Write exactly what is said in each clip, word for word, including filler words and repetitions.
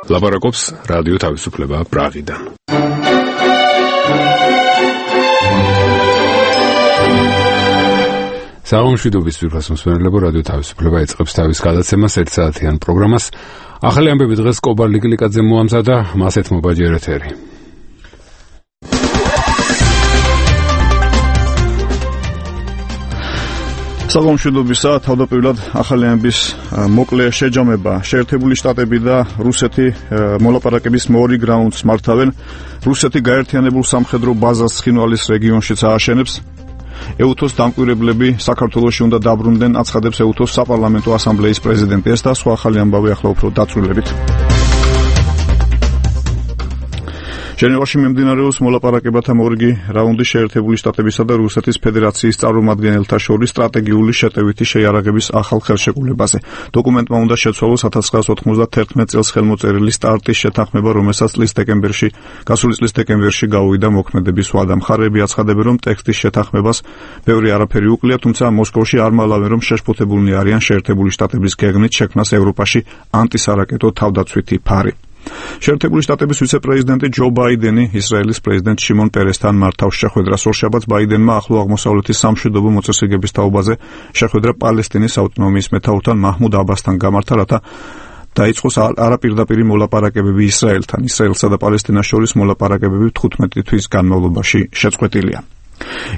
ლაპარაკობს რადიო თავისუფლება პრაღიდან. საღამოშვიდობის ვირფას მსმენელებო, რადიო თავისუფლება იწყებს თავის გადაცემას ერთ საათიან პროგრამას. ახალი ამბები დღეს კობარ ლიკლიკაძემ მოამზადა, მას ეთმობა ჯერ ეთერი. საღამოშვიდობისა, თავდაპირველად ახალი ამბის მოკლე შეჯამება. შეერთებული შტატები და რუსეთი მოლაპარაკების მორიგ რაუნდს მართავენ. რუსეთი გაერთიანებულ სამხედრო ბაზას ცხინვალის რეგიონშიც ააშენებს. ეუთოს დამკვირვებლები საქართველოში უნდა დაბრუნდნენ, აცხადებს ეუთოს საპარლამენტო ასამბლეის პრეზიდენტი. ეს და სხვა ახალი ამბავი ახლა უფრო დაწვრილებით. ჟენევაში მიმდინარეობს მოლაპარაკებათა მორიგი რაუნდი შეერთებული შტატებისა და რუსეთის ფედერაციის წარმომადგენელთა შორის სტრატეგიული შეტევითი შეიარაღების ახალ ხელშეკრულებაზე. დოკუმენტმა უნდა შეცვალოს ათას ცხრაას ოთხმოცდათერთმეტ წელს ხელმოწერილი სტარტის შეთანხმება, რომელსაც წლის დეკემბერში, გასული წლის დეკემბერში გაუვიდა მოქმედების ვადა. მხარეები აცხადებენ, რომ ტექსტის შეთანხმებას ბევრი არაფერი უკლია, თუმცა მოსკოვში არ მალავენ, რომ შეშფოთებულნი არიან შეერთებული შტატების გეგმით შექმნას ევროპაში ანტისარაკეტო თავდაცვითი ფარი. შეერთებული შტატების ვიცე-პრეზიდენტი ჯო ბაიდენი ისრაელის პრეზიდენტ შიმონ პერესთან მართავს შეხვედრას. ორშაბათს ბაიდენმა ახლო აღმოსავლეთის სამშვიდობო მოწესრიგების თაობაზე შეხვედრა პალესტინის ავტონომიის მეთაურთან მაჰმუდ აბასთან გამართა, რათა დაიწყოს არაპირდაპირი მოლაპარაკებები ისრაელთან. ისრაელსა და პალესტინას შორის მოლაპარაკებები თხუთმეტი თვის განმავლობაში შეწყვეტილია.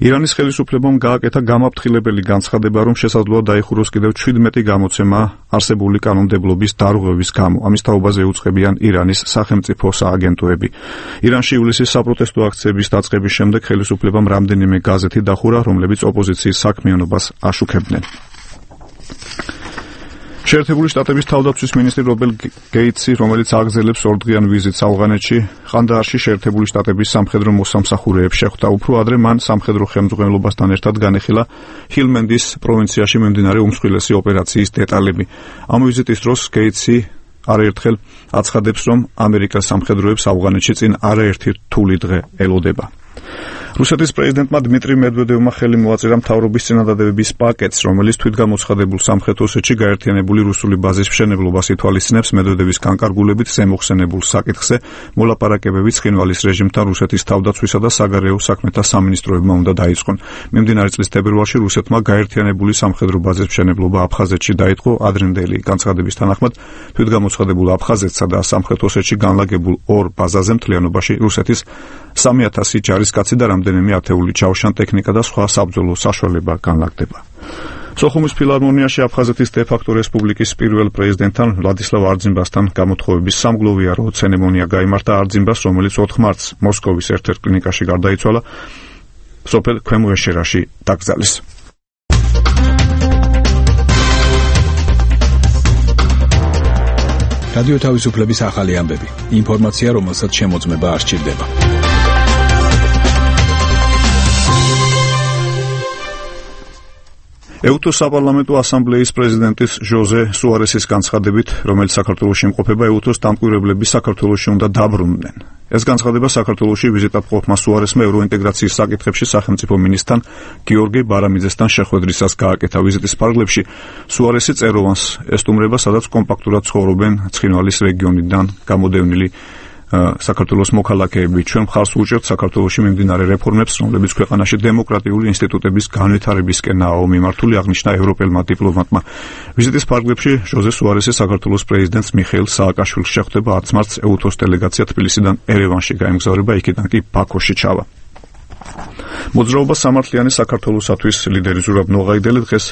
ირანის ხელისუფლებამ გააკეთა გამაფრთხილებელი განცხადება, რომ შესაძლოა დაიხუროს კიდევ შვიდმეტი გამოცემა არსებული კანონმდებლობის დარღვევის გამო. ამის თაობაზე უწყებიან ირანის სახელმწიფო სააგენტოები. ირანში ივლისის საპროტესტო აქციების დაწყების შემდეგ ხელისუფლებამ რამდენიმე გაზეთი დახურა, რომლებიც ოპოზიციის საქმიანობას აშუქებდნენ. შეერთებული შტატების თავდაცვის მინისტრი რობერტ გეიტსი, რომელიც აგრძელებს ორდღიან ვიზიტს ავღანეთში, ყანდაარში შეერთებული შტატების სამხედრო მოსამსახურეებს შეხვდა. უფრო ადრე მან სამხედრო ხელმძღვანელობასთან ერთად განეხილა ჰილმენდის პროვინციაში მიმდინარე უმსხვილესი ოპერაციის დეტალები. ამ ვიზიტის დროს გეიტსი არაერთხელ აცხადებს, რომ ამერიკას სამხედროებს ავღანეთში წინ არაერთი რთული დღე ელოდება. რუსეთის პრეზიდენტმა დმიტრი მედვედევმა ხელი მოაწერა მთავრობის წინადადებების პაკეტს, რომელიც თვითგამოცხადებულ სამხრეთ ოსეთში გაერთიანებული რუსული ბაზის მშენებლობას ითვალისწინებს. მედვედევის განკარგულებით ზემოხსენებულ საკითხზე მოლაპარაკებები ცხინვალის რეჟიმთან რუსეთის თავდაცვისა და საგარეო საქმეთა სამინისტროებმა უნდა დაიწყონ. მიმდინარე წლის თებერვალში რუსეთმა გაერთიანებული სამხედრო ბაზის მშენებლობა აფხაზეთში დაიწყო. ადრინდელი განცხადების თანახმად თვითგამოცხადებულ აფხაზეთსა და სამხრეთ ოსეთში განლაგებულ ორ ბაზაზე მთლიანობაში რუსეთის სამი ათასი ჯარისკაცი და რამდენიმე ათეული ჩაუშან ტექნიკა და სხვა საბრძოლო საშუალება განლაგდება. სოხუმის ფილარმონიაში აფხაზეთის დე-ფაქტო რესპუბლიკის პირველ პრეზიდენტთან ვლადისლავ არძიმბასთან გამოთხოვების სამგლოვიარო ცერემონია გაიმართა. არძიმბას, რომელიც ოთხ მარტს მოსკოვის ერთ-ერთ კლინიკაში გარდაიცვალა, სოფელ ქვემო ეშერაში დაკრძალეს. რადიო თავისუფლების ახალი ამბები. ინფორმაცია, რომელსაც შემოწმება არ სჭირდება. ეუთოს საპარლამენტო ასამბლეის პრეზიდენტის ჟოზე სუარესის განცხადებით, რომელიც საქართველოში იმყოფება, ეუთოს დამკვირვებლები საქართველოში უნდა დაბრუნდნენ. ეს განცხადება საქართველოში ვიზიტად ყოფმა სუარესმა ევროინტეგრაციის საკითხებში სახელმწიფო მინისტრთან გიორგი ბარამიძესთან შეხვედრისას გააკეთა. ვიზიტის ფარგლებში სუარესი წეროვანს ესტუმრება, სადაც კომპაქტურად ცხოვრობენ ცხინვალის რეგიონიდან გამოდევნილი საქართველოს მოქალაქეები. ჩვენ მხარს უჭერთ საქართველოში მიმდინარე რეფორმებს, რომლებიც ქვეყანაში დემოკრატიული ინსტიტუტების განვითარებისკენაა მიმართული, აღნიშნა ევროპელმა დიპლომატმა. ვიზიტის ფარგლებში ჟოზე სუარესი საქართველოს პრეზიდენტს მიხეილ სააკაშვილს შეხვდება. არც მარტს ეუთოს დელეგაცია თბილისიდან ერევანში გაემგზავრება, იქიდან კი ბაქოში ჩავა. მოძრაობა სამართლიანი საქართველოსათვის ლიდერი ზურაბ ნოღაიდელი დღეს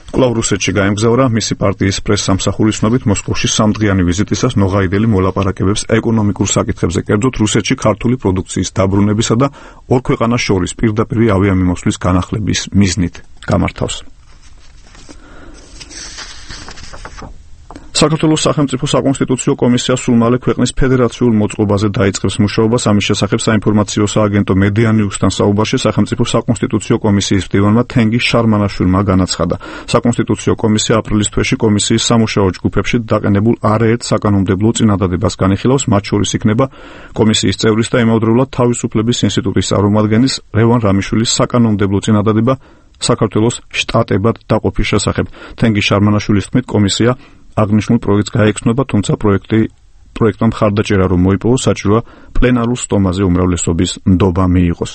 კვლავ რუსეთში გაემგზავრა. მისი პარტიის პრესსამსახურის ცნობით, მოსკოვში სამდღიანი ვიზიტისას ნოღაიდელი მოლაპარაკებებს ეკონომიკურ საკითხებზე, კერძოდ რუსეთში ქართული პროდუქციის დაბრუნებისა და ორ ქვეყანას შორის პირდაპირი ავიამიმოსვლის განახლების მიზნით გამართავს. საქართველოს სახელმწიფო საკონსტიტუციო კომისია სულ მალე ქვეყნის ფედერაციულ მოწყობაზე დაიწყებს მუშაობას. ამის შესახებ საინფორმაციო სააგენტო მედიანიუსთან საუბარში სახელმწიფო საკონსტიტუციო კომისიის მდივანმა თენგი შარმანაშვილმა განაცხადა. საკონსტიტუციო კომისია აპრილის თვეში კომისიის სამუშაო ჯგუფებში დაყენებულ არაერთ საკანონმდებლო წინადადებას განიხილავს. მათ შორის იქნება კომისიის წევრის და იმავდროულად თავისუფლების ინსტიტუტის წარმომადგენლის ლევან რამიშვილის საკანონმდებლო წინადადება საქართველოს შტატებად დაყოფის შესახებ. თენგი შარმანაშვილის თქმით, კომისია აღნიშნულ პროექტს გაეცნობა, თუმცა პროექტი პროექტმა მხარდაჭერა რომ მოიპოვოს, საჭიროა პლენარულ სტომაზე უმრავლესობის ნდობა მიიღოს.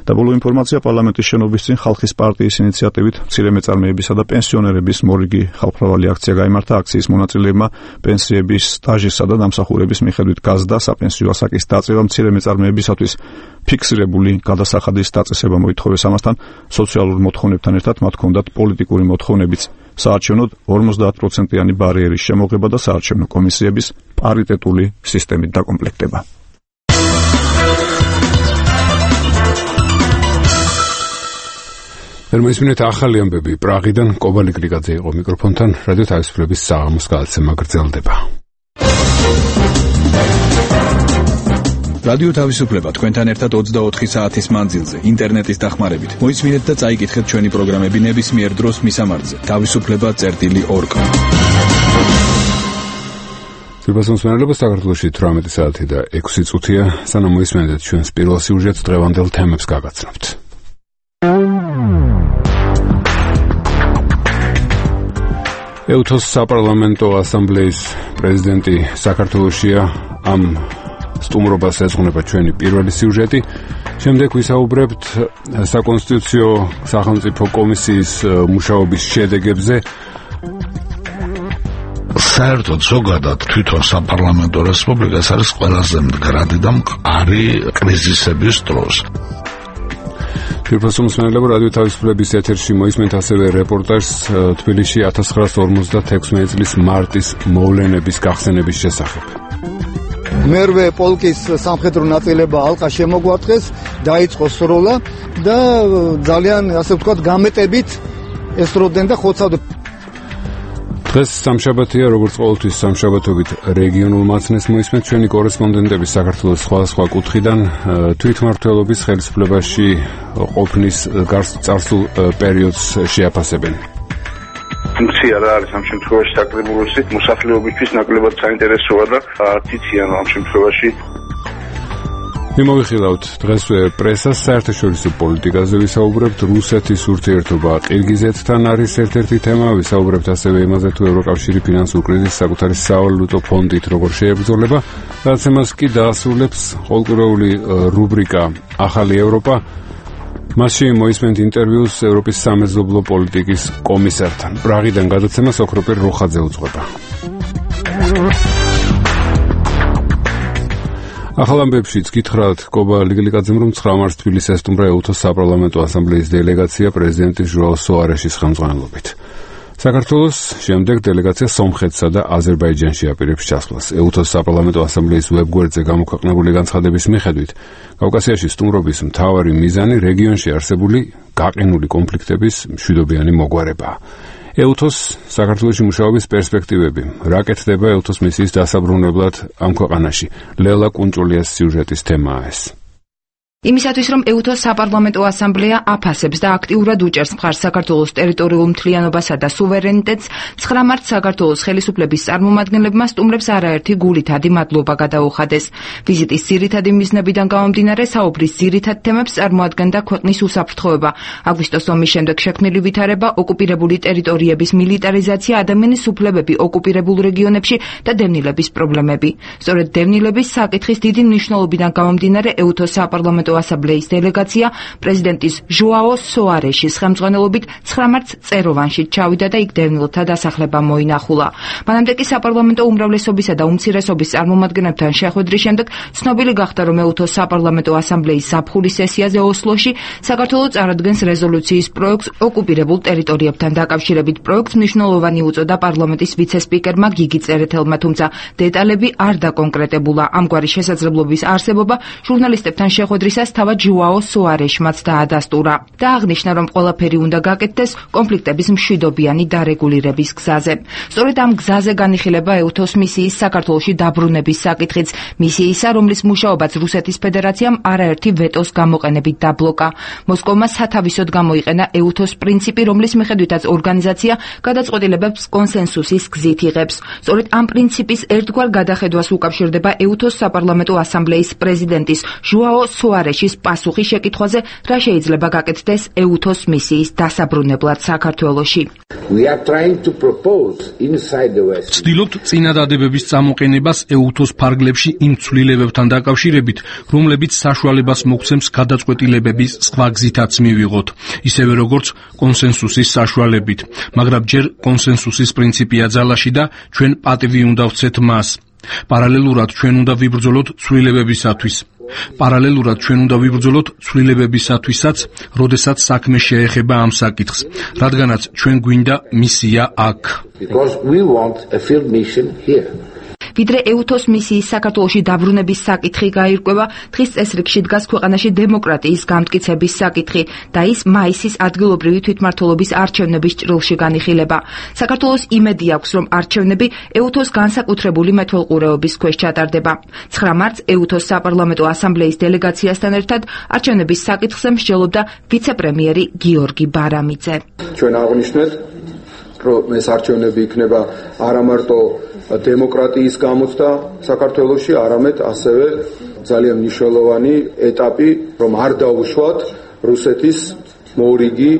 და ბოლო ინფორმაცია პარლამენტის შენობის წინ ხალხის პარტიის ინიციატივით მცირე მეწარმეებისა და პენსიონერების მორიგი ხალხმრავალი აქცია გაიმართა. აქციის მონაწილეებმა პენსიების სტაჟისა და დამსახურების მიხედვით გაზდა საპენსიო ასაკის დაწევა მცირე მეწარმეებისათვის ფიქსირებული გადასახადის დაწესება მოითხოვეს. ამასთან სოციალურ მოთხოვნებთან ერთად მათ ჰქონდათ პოლიტიკური მოთხოვნებიც. საარჩევნოდ ორმოცდაათ პროცენტიანი ბარიერის შემოღება და საარჩევნო კომისიების პარიტეტული სისტემით დაკომპლექტება. მოისმინეთ ახალი ამბები პრაღიდან. კობალი გლიკაძე იყო მიკროფონთან. რადიო თავისუფლების საღამოს გადაცემა გრძელდება. რადიო თავისუფლება თქვენთან ერთად ოცდაოთხი საათის მანძილზე ინტერნეტის დახმარებით. მოისმინეთ და წაიკითხეთ ჩვენი პროგრამები ნებისმიერ დროს მისამართზე თავისუფლება წერტილი ორ კომ. სიუჟეტის საქართველოში თვრამეტი საათი და ექვსი წუთია. სანამ მოისმენთ ჩვენს პირველ სიუჟეტს, დღევანდელ თემებს გაგაცნობთ. ეუთოს საპარლამენტო ასამბლეის პრეზიდენტი საქართველოშია. ამ სტუმრობას ეძღვნება ჩვენი პირველი სიუჟეტი. შემდეგ ვისაუბრებთ საკონსტიტუციო სახელმწიფო კომისიის მუშაობის შედეგებზე. საერთოდ ზოგადად თვითონ საპარლამენტო რესპუბლიკას არის ყველაზე მდგრადი და მყარი კრიზისების დროს. ფირფასუმსმენელებო, რადიო თავისუფლების ეთერში მოისმენთ ასევე რეპორტაჟს თბილისში ათას ცხრაასი ორმოცდათექვსმეტი წლის მარტის მოვლენების გახსენების შესახებ. მერვე პოლკის სამხედრო ნაწილება ალყა შემოგვარტყეს, დაიწყო სროლა და ძალიან, ასე ვთქვათ, გამეტებით ესროდნენ და ხოცავდნენ. დღეს სამშაბათია, როგორც ყოველთვის სამშაბათობით რეგიონულ მაცნეს მოისმენთ ჩვენი კორესპონდენტები საქართველოს სხვადასხვა კუთხიდან თვითმმართველობის ხელისუფლებაში ყოფნის წარსულ პერიოდს შეაფასებენ. ფუნქცია რა არის ამ შემთხვევაში საკრებულოსი მოსახლეობისთვის ნაკლებად საინტერესოა და არც ამ შემთხვევაში მიმოვიხილავთ დღესვე პრესას, საერთაშორისო პოლიტიკაზე ვისაუბრებთ. რუსეთის ურთიერთობა ყირგიზეთთან არის ერთ-ერთი თემა. ვისაუბრებთ ასევე იმაზე, თუ ევროკავშირი ფინანსურ კრიზისს საკუთარი სავალუტო ფონდით როგორ შეებრძოლება. გადაცემას კი დაასრულებს ყოველკვირეული რუბრიკა ახალი ევროპა. მასში მოისმენთ ინტერვიუს ევროპის სამეზობლო პოლიტიკის კომისართან. პრაღიდან გადაცემას ოქროპირ როხაძე უძღვება. ახალ ამბებშიც გითხრათ კობა ლიგლიკაძემ, რომ ცხრა მარტს თბილისს ესტუმრა ეუთოს საპარლამენტო ასამბლეის დელეგაცია პრეზიდენტი ჟოაო სოარეშის ხელმძღვანელობით. საქართველოს შემდეგ დელეგაცია სომხეთსა და აზერბაიჯანში აპირებს ჩასვლას. ეუთოს საპარლამენტო ასამბლეის ვებგვერდზე გამოქვეყნებული განცხადების მიხედვით, კავკასიაში სტუმრობის მთავარი მიზანი რეგიონში არსებული გაყინული კონფლიქტების მშვიდობიანი მოგვარებაა. ეუთოს საქართველოში მუშაობის პერსპექტივები. რა კეთდება ეუთოს მისიის დასაბრუნებლად ამ ქვეყანაში? ლელა კუნჭულიას სიუჟეტის თემაა ეს. იმისათვის, რომ ეუთოს საპარლამენტო ასამბლეა აფასებს და აქტიურად უჭერს მხარს საქართველოს ტერიტორიულ მთლიანობასა და სუვერენიტეტს, ცხრა მარტს საქართველოს ხელისუფლების წარმომადგენლებმა სტუმრებს არაერთი გულითადი მადლობა გადაუხადეს. ვიზიტის ძირითადი მიზნებიდან გამომდინარე, საუბრის ძირითად თემებს წარმოადგენდა ქვეყნის უსაფრთხოება, აგვისტოს ომის შემდეგ შექმნილი ვითარება, ოკუპირებული ტერიტორიების მილიტარიზაცია, ადამიანის უფლებები ოკუპირებულ რეგიონებში და დევნილების პრობლემები. სწორედ დევნილების საკითხის დიდი მნიშვნელობიდან გამომდინარე, ეუთოს საპარლამენტო ასამბლეის დელეგაცია პრეზიდენტის ჟოაო სოარეშის ხელმძღვანელობით ცხრა მარტს წეროვანში ჩავიდა და იქ დევნილთა დასახლება მოინახულა. მანამდე კი საპარლამენტო უმრავლესობისა და უმცირესობის წარმომადგენლებთან შეხვედრის შემდეგ ცნობილი გახდა, რომ ეუთოს საპარლამენტო ასამბლეის ზაფხულის სესიაზე ოსლოში საქართველო წარადგენს რეზოლუციის პროექტს ოკუპირებულ ტერიტორიებთან დაკავშირებით. პროექტს მნიშვნელოვანი უწოდა პარლამენტის ვიცე-სპიკერმა გიგი წერეთელმა, თუმცა დეტალები არ დაკონკრეტებულა. ამგვარი შესაძლებლობის არსებობა ჟურნალისტებთან შეხვედრისას თავად ჟოაო სოარეშმაც დაადასტურა და აღნიშნა, რომ ყველაფერი უნდა გაკეთდეს კონფლიქტების მშვიდობიანი დარეგულირების გზაზე. სწორედ ამ გზაზე განიხილება ეუთოს მისიის საქართველოში დაბრუნების საკითხიც. მისიისა, რომლის მუშაობაც რუსეთის ფედერაციამ არაერთი ვეტოს გამოყენებით დაბლოკა. მოსკოვმა სათავისოდ გამოიყენა ეუთოს პრინციპი, რომლის მიხედვითაც ორგანიზაცია გადაწყვეტილებებს კონსენსუსის გზით იღებს. სწორედ ამ პრინციპის ერთგვარ გადახედვას უკავშირდება ეუთოს საპარლამენტო ასამბლეის პრეზიდენტის ჟოაო სოარეშის სუარეშის პასუხი შეკითხვაზე, რა შეიძლება გაკეთდეს ეუთოს მისიის დასაბრუნებლად საქართველოში. ვცდილობთ წინადადებების წამოყენებას ეუთოს ფარგლებში იმ ცვლილებებთან დაკავშირებით, რომლებიც საშუალებას მოგცემს გადაწყვეტილებების სხვა გზითაც მივიღოთ, ისევე როგორც კონსენსუსის საშუალებით, მაგრამ ჯერ კონსენსუსის პრინციპია ძალაში და ჩვენ პატივი უნდა ვცეთ მას. პარალელურად ჩვენ უნდა ვიბრძოლოთ ცვლილებებისათვის. პარალელურად ჩვენ უნდა ვიბრძოლოთ ცვლილებებისათვისაც, როდესაც საქმე შეეხება ამ საკითხს, რადგანაც ჩვენ გვინდა მისია აქ. ვიდრე ეუთოს მისიის საქართველოში დაბრუნების საკითხი გაირკვევა, დღის წესრიგში დგას ქვეყანაში დემოკრატიის გამტკიცების საკითხი და ის მაისის ადგილობრივი თვითმმართველობის არჩევნების ჭრილში განიხილება. საქართველოს იმედი აქვს, რომ არჩევნები ეუთოს განსაკუთრებული მეთვალყურეობის ქვეშ ჩატარდება. ცხრა მარტს ეუთოს საპარლამენტო ასამბლეის დელეგაციასთან ერთად არჩევნების საკითხზე მსჯელობდა ვიცე-პრემიერი გიორგი ბარამიძე. ჩვენ აღნიშნეთ, რომ ეს არჩევნები იქნება არა მარტო დემოკრატიის გამოცდა საქართველოში, არამედ ასევე ძალიან მნიშვნელოვანი ეტაპი, რომ არ დაუშვათ რუსეთის მორიგი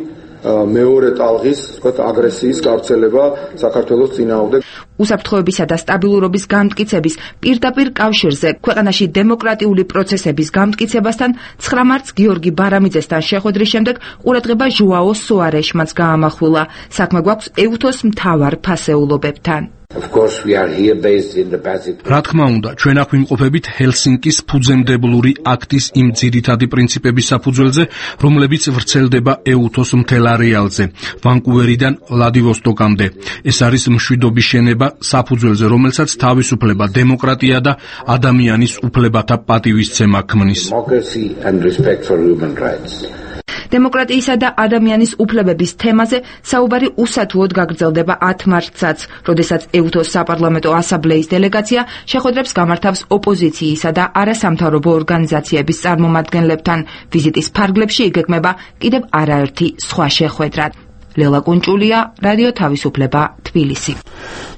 მეორე ტალღის, ვთქვათ, აგრესიის გავრცელება საქართველოს წინააღმდეგ. უსაფრთხოებისა და სტაბილურობის გამტკიცების პირდაპირ კავშირზე ქვეყანაში დემოკრატიული პროცესების გამტკიცებასთან ცხრა მარტს გიორგი ბარამიძესთან შეხვედრის შემდეგ ყურადღება ჟუაო სუარეშმაც გაამახვილა. საქმე გვაქვს ეუთოს მთავარ ფასეულობებთან. რა თქმა უნდა, ჩვენ აქ ვიმყოფებით ჰელსინკის ფუძემდებლური აქტის იმ ძირითადი პრინციპების საფუძველზე, რომლებიც ვრცელდება ეუთოს მთელ არეალზე, ვანკუვერიდან ვლადივოსტოკამდე. ეს არის მშვიდობის შენება, საფუძველზე, რომელსაც თავისუფლება, დემოკრატია და ადამიანის უფლებათა პატივისცემა ქმნის. დემოკრატიისა და ადამიანის უფლებების თემაზე საუბარი უსათუოდ გაგრძელდება ათ მარტსაც, როდესაც ეუთოს საპარლამენტო ასამბლეის დელეგაცია შეხვედრებს გამართავს ოპოზიციისა და არასამთავრობო ორგანიზაციების წარმომადგენლებთან. ვიზიტის ფარგლებში იგეგმება კიდევ არაერთი სხვა შეხვედრა. ლელა კუნჭულია, რადიო თავისუფლება, თბილისი.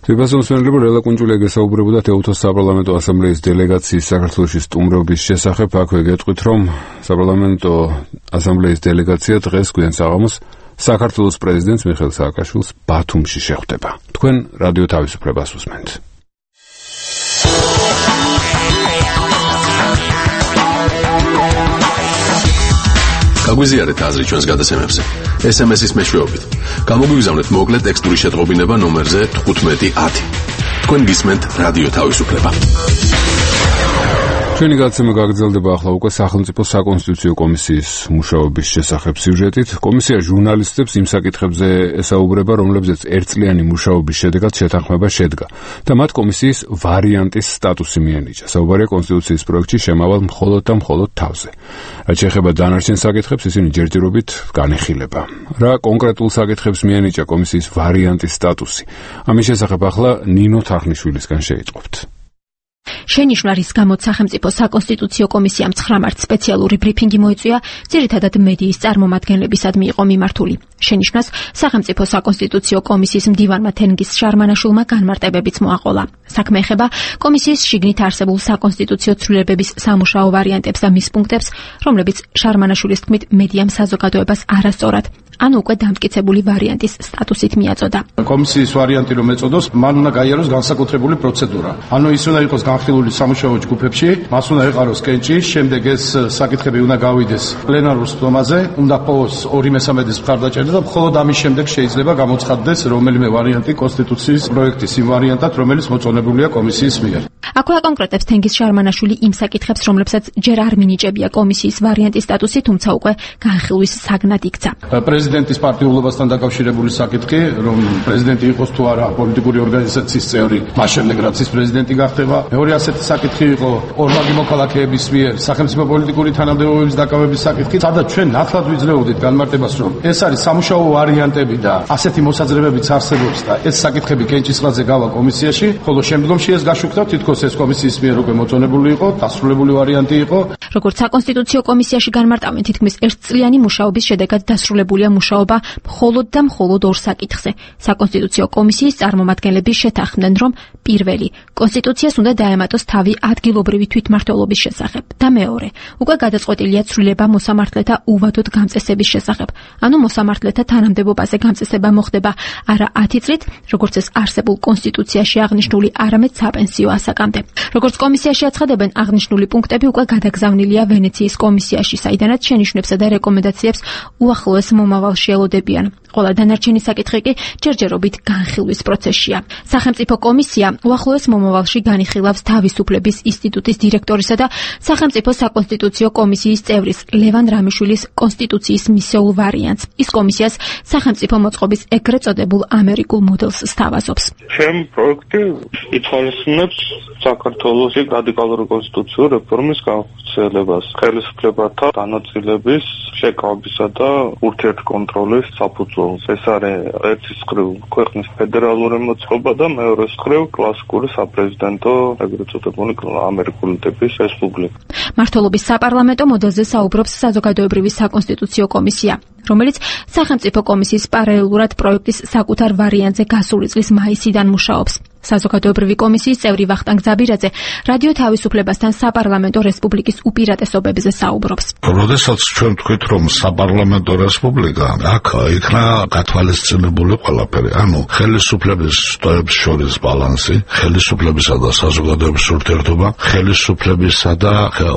თვითმფრინავი ლელა კუნჭულია გესაუბრებოდა ეუთოს საპარლამენტო ასამბლეის დელეგაციის საქართველოში სტუმრობის შესახებ. აქვე გეტყვით, რომ საპარლამენტო ასამბლეის დელეგაცია დღეს გვიან საღამოს საქართველოს პრეზიდენტს მიხეილ სააკაშვილს ბათუმში შეხვდება. თქვენ რადიო თავისუფლებას უსმენთ. გაგვიზიარეთ აზრი ჩვენს გადაცემებზე. ეს ემ ეს-ის მეშვეობით. გამოგვიგზავნეთ მოკლე ტექსტური შეწყობინება ნომერზე თხუთმეტი ათი. თქვენ გისმენთ რადიო თავისუფლება. ჩვენი გადაცემა გაგრძელდება ახლა უკვე სახელმწიფო საკონსტიტუციო კომისიის მუშაობის შესახებ სიუჟეტით. კომისია ჟურნალისტებს იმ საკითხებზე ესაუბრება, რომლებზეც ერთწლიანი მუშაობის შედეგად შეთანხმება შედგა და მათ კომისიის ვარიანტის სტატუსი მიენიჭა. საუბარია კონსტიტუციის პროექტში შემავალ მხოლოდ და მხოლოდ თავზე. რაც შეეხება დანარჩენ საკითხებს, ისინი ჯერჯერობით განეხილება. რა კონკრეტულ საკითხებს მიენიჭა კომისიის ვარიანტის სტატუსი? ამის შესახებ ახლა ნინო თარხნიშვილისგან შეიტყობთ. შენიშვნა, რის გამოც სახელმწიფო საკონსტიტუციო კომისიამ ცხრა მარტს სპეციალური ბრიფინგი მოიწვია, ძირითადად მედიის წარმომადგენლებისადმი იყო მიმართული. შენიშვნას სახელმწიფო საკონსტიტუციო კომისიის მდივანმა თენგიზ შარმანაშვილმა განმარტებებიც მოაყოლა. საქმე ეხება კომისიის შიგნით არსებულ საკონსტიტუციო ცვლილებების სამუშაო ვარიანტებს და მის პუნქტებს, რომლებიც შარმანაშვილის თქმით მედიამ საზოგადოებას არასწორად ანუ უკვე დამტკიცებული ვარიანტის სტატუსით მიაწოდა. კომისიის ვარიანტი რომ ეწოდოს, მან უნდა გაიაროს განსაკუთრებული პროცედურა. ანუ ის უნდა იყოს განხილული სამუშაო ჯგუფებში, მას უნდა ეყაროს კენჭი, შემდეგ ეს საკითხები უნდა გავიდეს პლენარულ სტომაზე, უნდა ყოფოს ორი მესამედის მხარდაჭერა და მხოლოდ ამის შემდეგ შეიძლება გამოცხადდეს რომელიმე ვარიანტი კონსტიტუციის პროექტის იმ ვარიანტად, რომელიც მოწონებულია კომისიის მიერ. აქვე აკონკრეტებს თენგიზ შარმანაშვილი იმ საკითხებს, რომლებსაც ჯერ არ მინიჭებია კომისიის ვარიანტის სტატუსი, თუმცა უკვე განხილვის საგნად იქცა. პრეზიდენტის პარტიულობასთან დაკავშირებული საკითხი, რომ პრეზიდენტი იყოს თუ არა პოლიტიკური ორგანიზაციის წევრი, მას შემდეგ რაც ის პრეზიდენტი გახდება. მეორე ასეთი საკითხი იყო ორმაგი მოქალაქეების მიერ სახელმწიფო პოლიტიკური თანამდებობების დაკავების საკითხი, სადაც ჩვენ ნათლად ვიძლეოდით განმარტებას, რომ ეს არის სამუშაო ვარიანტები და ასეთი მოსაზრებებიც არსებობს და ეს საკითხები კენჭისყრაზე გავა კომისიაში, ხოლო შემდგომში ეს გაშუქდა, თითქოს ეს კომისიის მიერ უკვე მოწონებული იყო, დასრულებული ვარიანტი იყო. როგორც საკონსტიტუციო კომისიაში განმარტავენ, თითქმის ერთწლიანი მუშაობის შედეგად დასრულებულია მუშაობა მხოლოდ და მხოლოდ ორ საკითხზე. საკონსტიტუციო კომისიის წარმომადგენლები შეთანხმდნენ, რომ პირველი, კონსტიტუციას უნდა დაემატოს თავი ადგილობრივი თვითმმართველობის შესახებ და მეორე, უკვე გადაწყვეტილია ცვლილება მოსამართლეთა უვადოდ გამწესების შესახებ. ანუ მოსამართლეთა თანამდებობაზე გამწესება მოხდება არა ათი წლით, როგორც ეს არსებულ კონსტიტუციაში აღნიშნული, არამედ საპენსიო ასაკამდე. როგორც კომისიაში აცხადებენ, აღნიშნული პუნქტები უკვე გადაგზავნილია ვენეციის კომისიაში, საიდანაც შენიშვნებსა და რეკომენდაციებს უახლოეს მომავალში ელოდებიან. ყველა დანარჩენი საკითხი კი ჯერჯერობით განხილვის პროცესშია. სახელმწიფო კომისია უახლოეს მომავალში განიხილავს თავისუფლების ინსტიტუტის დირექტორისა და სახელმწიფო საკონსტიტუციო კომისიის წევრის ლევან რამიშვილის კონსტიტუციის მისეულ ვარიანტს. ის კომისიას სახელმწიფო მოწყობის ეგრეთ წოდებულ ამერიკულ მოდელს სთავაზობს. ჩემ პროექტი ითვალისწინებს საქართველოს რადიკალური კონსტიტუციური რეფორმის განხორციელებას, ხელისუფლებათა განაწილების, შეკავებისა და ურთიერთკონტროლის საფუძველს. ეს არის ერთი მხრივ ქვეყნის ფედერალური მოწყობა და მეორე მხრივ კლასიკური საპრეზიდენტო ეგრეთ წოდებული ამერიკული ტიპის რესპუბლიკა. მმართველობის საპარლამენტო მოდელზე საუბრობს საზოგადოებრივი საკონსტიტუციო კომისია, რომელიც სახელმწიფო კომისიის პარალელურად პროექტის საკუთარ ვარიანტზე გასული წლის მაისიდან მუშაობს. საზოგადოებრივი კომისიის წევრი ვახტანგ ზაბირაძე რადიო თავისუფლებასთან საპარლამენტო რესპუბლიკის უპირატესობებზე საუბრობს. როდესაც ჩვენ ვთქვით, რომ საპარლამენტო რესპუბლიკა, აქ იქნა გათვალისწინებული ყველაფერი, ანუ ხელისუფლების შტოებს შორის ბალანსი, ხელისუფლებისა და საზოგადოების ურთიერთობა, ხელისუფლებისა და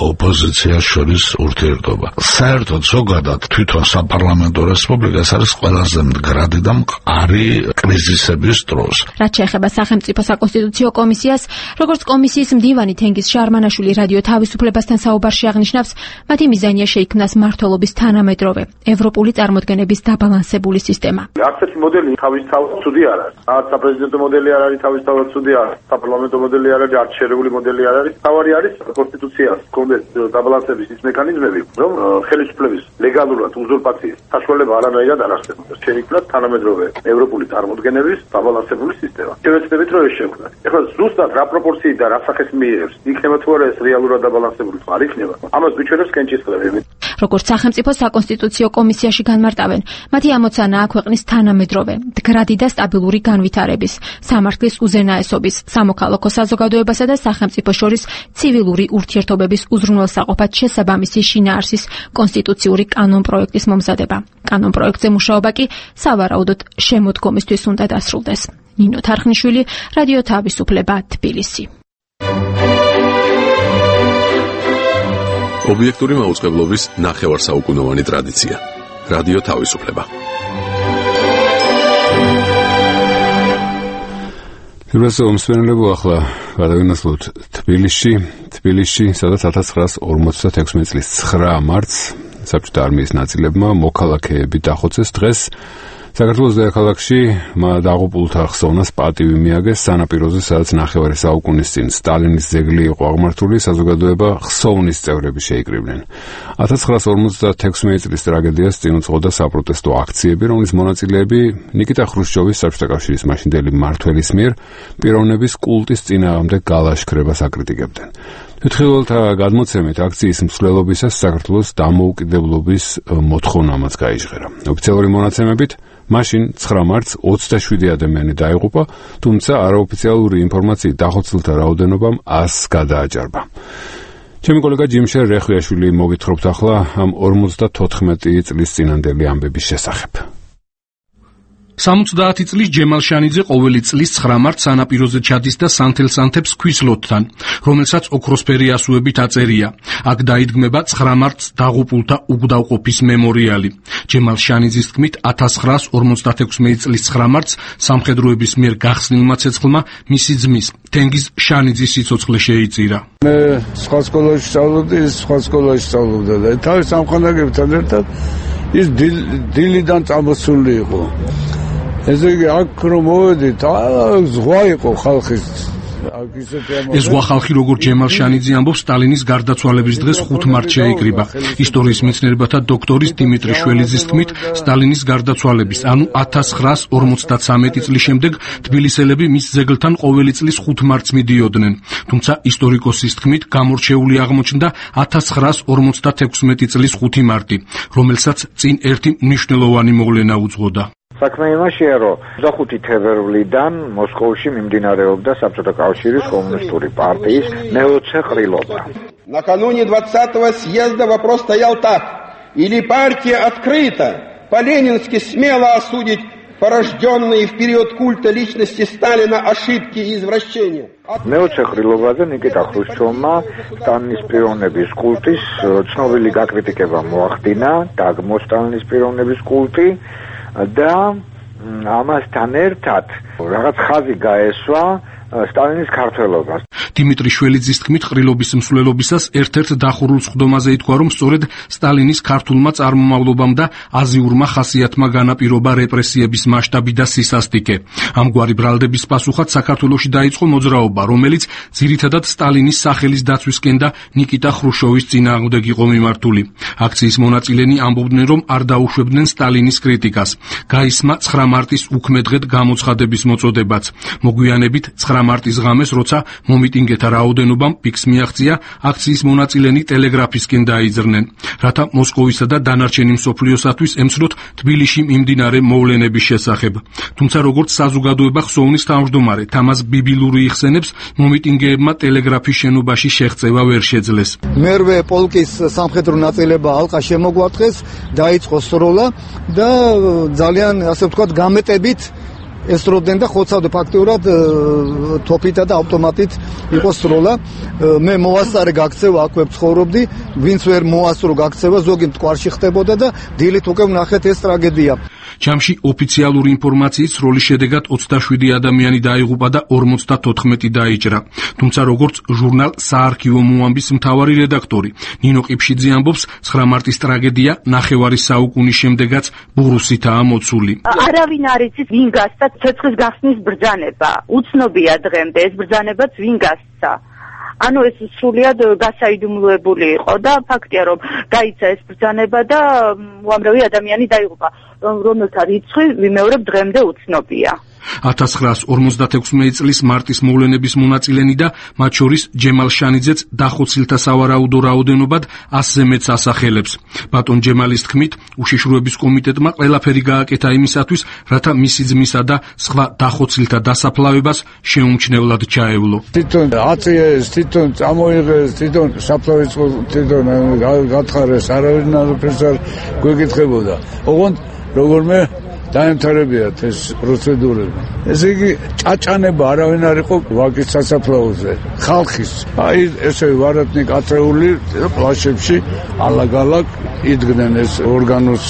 ოპოზიციას შორის ურთიერთობა. საერთოდ ზოგადად თვითონ საპარლამენტო რესპუბლიკა არის ყველაზე მდგრადი და მყარი კრიზისების დროს. რაც შეეხება სახელმწიფო საკონსტიტუციო კომისიას, როგორც კომისიის მდივანი თენგიზ შარმანაშვილი რადიო თავისუფლებასთან საუბარში აღნიშნავს, მათი მიზანია შეიქმნას მმართველობის თანამედროვე ევროპული წარმოდგენების დაბალანსებული სისტემა. არცერთი მოდელი თავისთავად ცუდი არ არის. არც საპრეზიდენტო მოდელი არ არის თავისთავად ცუდი არ არის. საპარლამენტო მოდელი არ არის, არც შერეული მოდელი არ არის. თავარი არის კონსტიტუციას კონდეს დაბალანსების ის მექანიზმები, რომ ხელისუფლების ლეგალურად უზურპაციის საშუალება არანაირად არ არსებობს. შეიქმნას თანამედროვე ევროპული წარმოდგენების დაბალანსებული სისტემა. შევეცდებით რომ შექმნა. ეხლა ზუსტად რა პროპორციით და რა სახეს მიიღებს, იქნება თუ არა ეს რეალურად დაბალანსებული თუ არ იქნება, ამას ვიჩვენებს კენჭისყრები. როგორც სახელმწიფო საკონსტიტუციო კომისიაში განმარტავენ, მათი ამოცანაა ქვეყნის თანამედროვე, მდგრადი და სტაბილური განვითარების, სამართლის უზენაესობის, სამოქალაქო საზოგადოებასა და სახელმწიფო შორის ცივილური ურთიერთობების უზრუნველსაყოფად შესაბამისი შინაარსის კონსტიტუციური კანონპროექტის მომზადება. კანონპროექტზე მუშაობა კი სავარაუდოდ შემოდგომისთვის უნდა დასრულდეს. ნინო თარხნიშვილი, რადიო თავისუფლება, თბილისი. ობიექტური მაუწყებლობის ნახევარსაუკუნოვანი ტრადიცია. რადიო თავისუფლება. პირველზე ომსვენელებო ახლა გადავინაცვლოთ თბილისში, თბილისში, სადაც ათას ცხრაას ორმოცდათექვსმეტ წლის ცხრა მარტს საბჭოთა არმიის ნაწილებმა მოქალაქეები დახოცეს. დღეს საქართველოს დედაქალაქში დაღუპულთა ხსოვნას პატივი მიაგეს სანაპიროზე, სადაც ნახევარი საუკუნის წინ სტალინის ძეგლი იყო აღმართული, საზოგადოება ხსოვნის წევრები შეიკრიბნენ. ათას ცხრაას ორმოცდათექვსმეტ წლის ტრაგედიას წინ უძღოდა საპროტესტო აქციები, რომლის მონაწილეები ნიკიტა ხრუშჩოვის საბჭოთა კავშირის მაშინდელი მმართველის მიერ პიროვნების კულტის წინააღმდეგ გალაშქრებას აკრიტიკებდნენ. თვითმხილველთა გადმოცემით აქციის მსვლელობისას საქართველოს დამოუკიდებლობის მოთხოვნამაც გაიჟღერა. ოფიციალური მონაცემებით მაშინ ცხრა მარტს ოცდაშვიდი ადამიანი დაიღუპა, თუმცა არაოფიციალური ინფორმაციით დახოცილთა რაოდენობამ ასს გადააჭარბა. ჩემი კოლეგა ჯიმშერ რეხვიაშვილი მოგითხრობთ ახლა ამ ორმოცდათოთხმეტი წლის წინანდელი ამბების შესახებ. სამოცდაათი წლის ჯემალ შანიძე ყოველი წლის ცხრა მარტს სანაპიროზე ჩადის და სანთელ-სანთებს ქვის ლოდთან, რომელსაც ოქროსფერი ასოებით აწერია. აქ დაიდგმება ცხრა მარტს დაღუპულთა უგდავყოფის მემორიალი. ჯემალ შანიძის თქმით, ათას ცხრაას ორმოცდათექვსმეტ წლის ცხრა მარტს სამხედროების მიერ გახსნილმა ცეცხლმა მისი ძმის, თენგიზ შანიძის სიცოცხლე შეიწირა. მე სხვა სკოლაში სწავლობდი, ის სხვა სკოლაში სწავლობდა და თავის სამხანაგებთან ერთად ის დილიდან წამოსული იყო. ესე იგი აქ რომ მოვედით, ზღვა იყო ხალხის ეს ზღვა ხალხი როგორც ჯემალ შანიძე ამბობს, სტალინის გარდაცვალების დღეს ხუთ მარტს შეიკრიბა. ისტორიის მეცნიერებათა დოქტორის დიმიტრი შველიძის თქმით, სტალინის გარდაცვალების, ანუ ათას ცხრაას ორმოცდათვრამეტი წლის შემდეგ თბილისელები მის ძეგლთან ყოველი წლის ხუთ მარტს მიდიოდნენ. თუმცა ისტორიკოსის თქმით, გამორჩეული აღმოჩნდა ათას ცხრაას ორმოცდათექვსმეტი წლის ხუთი მარტი, რომელსაც წინ ერთი მნიშვნელოვანი მოვლენა უძღოდა. საქმე იმაშია, რომ ოცდახუთი თებერვლიდან მოსკოვში მიმდინარეობდა საბჭოთა კავშირის კომუნისტური партии მეოცე ყრილობა. Накануне двадцатого съезда вопрос стоял так: или партия открыто, по-ленински смело осудить порожденные в период культа личности Сталина ошибки и извращения. მეოცე ყრილობაზე ნიკიტა ხრუშჩოვმა სტალინის პიროვნების კულტის ცნობილი გაკრიტიკება მოახდინა, დაგმო სტალინის პიროვნების კულტი და ამასთან ერთად რაღაც ხაზი გაესვა სტალინის ქართველობას. დიმიტრი შველიძის თქმით, ყრილობის მსვლელობისას ერთ-ერთ დახურულ სხდომაზე ითქვა, რომ სწორედ სტალინის ქართულმა წარმომავლობამ და აზიურმა ხასიათმა განაპირობა რეპრესიების მასშტაბი და სისასტიკე. ამგვარი ბრალდების პასუხად საქართველოში დაიწყო მოძრაობა, რომელიც ძირითადად სტალინის სახელის დაცვისკენ და ნიკიტა ხრუშჩოვის წინააღმდეგ იყო მიმართული. აქციის მონაწილენი ამბობდნენ, რომ არ დაუშვებდნენ სტალინის კრიტიკას. გაისმა ცხრა მარტის უქმე დღედ გამოცხადების მოწოდებაც. მოგვიანებით ცხრა მარტის ღამეს, როცა მომიტინგეთა რაოდენობამ პიკს მიაღწია, აქციის მონაწილენი ტელეგრაფისკენ დაიძრნენ, რათა მოსკოვისა და დანარჩენი მსოფლიოსათვის ემცნოთ თბილისში მიმდინარე მოვლენების შესახებ. თუმცა როგორც საზოგადოება ხსოვნის თავმჯდომარე თამაზ ბიბილური იხსენებს, მომიტინგეებმა ტელეგრაფის შენობაში შეღწევა ვერ შეძლეს. მერვე პოლკის სამხედრო ნაწილება ალყა შემოგვარტყეს, დაიწყო სროლა და ძალიან ასე ვთქვათ გამეტებით ესროდნენ და ხოცავდა ფაქტიურად თოფითა და ავტომატით იყო სროლა. მე მოასწარე გაქცევა აქვე ცხოვრობდი, ვინც ვერ მოასწრო გაქცევა ზოგი მტკვარში ხდებოდა და დილით უკვე ვნახეთ ეს ტრაგედია. ჯამში ოფიციალური ინფორმაციით სროლის შედეგად ოცდაშვიდი ადამიანი დაიღუპა და ორმოცდათოთხმეტი დაიჭრა. თუმცა როგორც ჟურნალ საარქივო მოამბის მთავარი რედაქტორი ნინო ყიფშიძე ამბობს, ცხრა მარტის ტრაგედია ნახევარი საუკუნის შემდეგაც ბურუსითაა მოცული. არავინ არ იცის ვინ გასცა ცეცხლის გახსნის ბრძანება. უცნობია დღემდე ეს ბრძანებაც ვინ გასცა. ანუ ეს სრულიად გასაიდუმლოებული იყო და ფაქტია, რომ გაიცა ეს ბრძანება და უამრავი ადამიანი დაიღუპა, რომელთა რიცხვი ვიმეორებ დღემდე უცნობია. ათას ცხრაას ორმოცდათექვსმეტი წლის მარტის მოვლენების მონაწილენი და მათ შორის ჯემალ შანიძეც დახოცილთა სავარაუდო რაოდენობად ასზე მეტს ასახელებს. ბატონ ჯემალის თქმით, უშიშროების კომიტეტმა ყველაფერი გააკეთა იმისათვის, რათა მისი ძმისა და სხვა დახოცილთა დასაფლავებას შეუმჩნევლად ჩაევლო. თვითონ აწიეს, თვითონ წამოიღეს, თვითონ საფლავის თვითონ გათხარეს, არავინ არაფერს არ გვეკითხებოდა. ოღონდ როგორმე დაემთავრებიათ ეს პროცედურები. ესე იგი ჭაჭანება არავინ არ იყო ვაკის სასაფლაოზე. ხალხის აი ესე ვარათნი კატრეული პლაშებში ალაგ-ალაგ იდგნენ ეს ორგანოს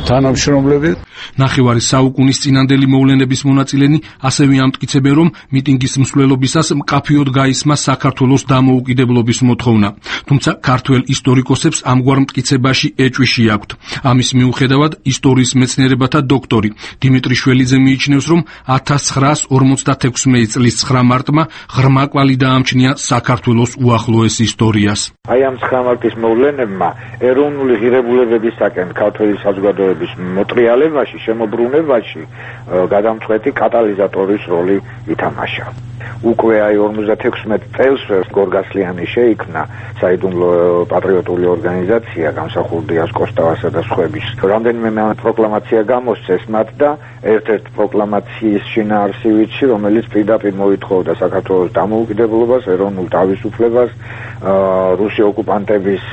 თანამშრომლები. ნახევარი საუკუნის წინანდელი მოვლენების მონაწილენი ასევე ამტკიცებენ, რომ მიტინგის მსვლელობისას მკაფიოდ გაისმა საქართველოს დამოუკიდებლობის მოთხოვნა. თუმცა ქართველ ისტორიკოსებს ამგვარ მტკიცებაში ეჭვი აქვთ. ამის მიუხედავად ისტორიის მეცნიერებათა დოქტორი დიმიტრი შველიძე მიიჩნევს, რომ ათას ცხრაას ორმოცდათექვსმეტი წლის ცხრა მარტმა ღრმა კვალი დაამჩნია საქართველოს უახლოეს ისტორიას. აი ამ ცხრა მარტის მოვლენებმა ეროვნული ღირებულებებისაკენ ქართველი საზოგადოების მოტრიალებაში, შემოbrunებაში გადამწყვეტი კატალიზატორის როლი ითამაშა. უკვე აი ორმოცდათექვსმეტ წელს გორგასლიანი შეიქმნა საიდუმლო პატრიოტული ორგანიზაცია გამსახურდ დიას კოსტავასა და სხვების. რამდენიმე პროკლამაცია გამოსცეს მათ და ერთ-ერთ პროკლამაციის შინაარსივიცი, რომელიც პირდაპირ მოითხოვდა საქართველოს დამოუკიდებლობას, ეროვნულ თავისუფლებას, რუსი ოკუპანტების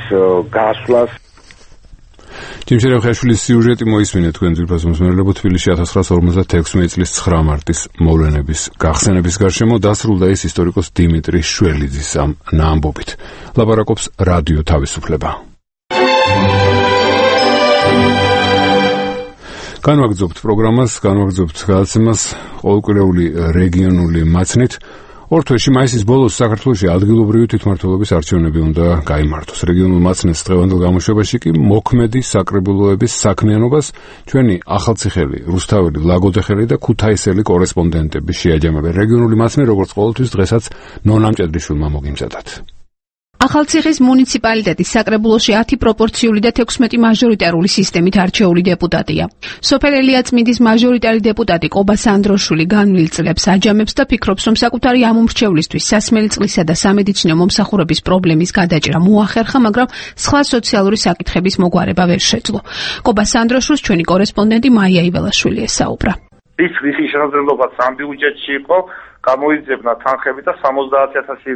გასვლას. ჯიმშერე ხაშვილის სიუჟეტი მოისმინეთ თქვენ ძირფას მსმენელებო. თბილისში ათას ცხრაას ორმოცდათექვსმეტი წლის ცხრა მარტის მოვლენების გახსენების გარშემო დასრულდა ეს ისტორიკოს დიმიტრი შველიძის ამ ამბობით. ლაპარაკობს რადიო თავისუფლება. განვაგრძობთ პროგრამას, განვაგრძობთ გადაცემას ყოველკვირეული რეგიონული მაცნით. ორ თვეში მაისის ბოლოს საქართველოში ადგილობრივი თვითმმართველობის არჩევნები უნდა გაიმართოს. რეგიონულ მაცნეს დღევანდელ გამოშვებაში კი მოქმედი საკრებულოების საქმიანობას ჩვენი ახალციხელი, რუსთაველი, ლაგოდეხელი და ქუთაისელი კორესპონდენტები შეაჯამებენ. რეგიონული მაცნე როგორც ყოველთვის დღესაც ნონა მჭედრიშვილმა მოგიმზადათ. ახალციხის მუნიციპალიტეტის საკრებულოში ათი პროპორციული და თექვსმეტი მაჟორიტარული სისტემით არჩეული დეპუტატია. სოფელ ელიაწმინდის მაჟორიტარი დეპუტატი ყობა სანდროშვილი განვლილ წლებს აჯამებს და ფიქრობს, რომ საკუთარი ამომრჩევლისთვის სასმელი წყლისა და სამედიცინო მომსახურების პრობლემის გადაჭრა მოახერხა, მაგრამ სხვა სოციალური საკითხების მოგვარება ვერ შეძლო. ყობა სანდროშვილს ჩვენი კორესპონდენტი მაია იველაშვილი ესაუბრა. ის რისი შესაძლებლობა სამ ბიუჯეტში იყო გამოიძებნა თანხები და სამოცდაათი ათასი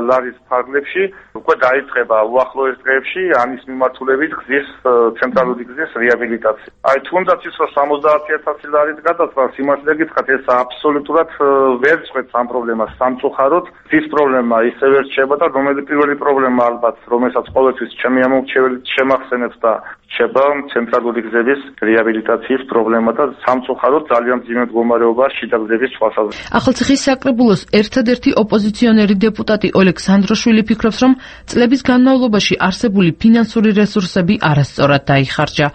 ლარის ფარგლებში უკვე დაიწყება უახლოეს დღეებში ამის მიმართულებით გზის ცენტრალური გზის რეაბილიტაცია. აი თუნდაც ის რომ სამოცდაათი ათასი ლარით გადასვა სიმართლე გითხრათ ეს აბსოლუტურად ვერ წყვეტს ამ პრობლემას სამწუხაროდ. ის პრობლემა ისევ ვერ რჩება და რომელი პირველი პრობლემა ალბათ რომელსაც ყოველთვის ჩემი ამომრჩეველი შემახსენებს და რჩება ცენტრალური გზების რეაბილიტაციის პრობლემა და სამწუხაროდ ძალიან მძიმე მდგომარეობაა შიდა გზების თვალსაზრისით. ახალციხის საკრებულოს ერთადერთი ოპოზიციონერი დეპუტატი ოლეგ სანდროშვილი ფიქრობს, რომ წლების განმავლობაში არსებული ფინანსური რესურსები არასწორად დაიხარჯა.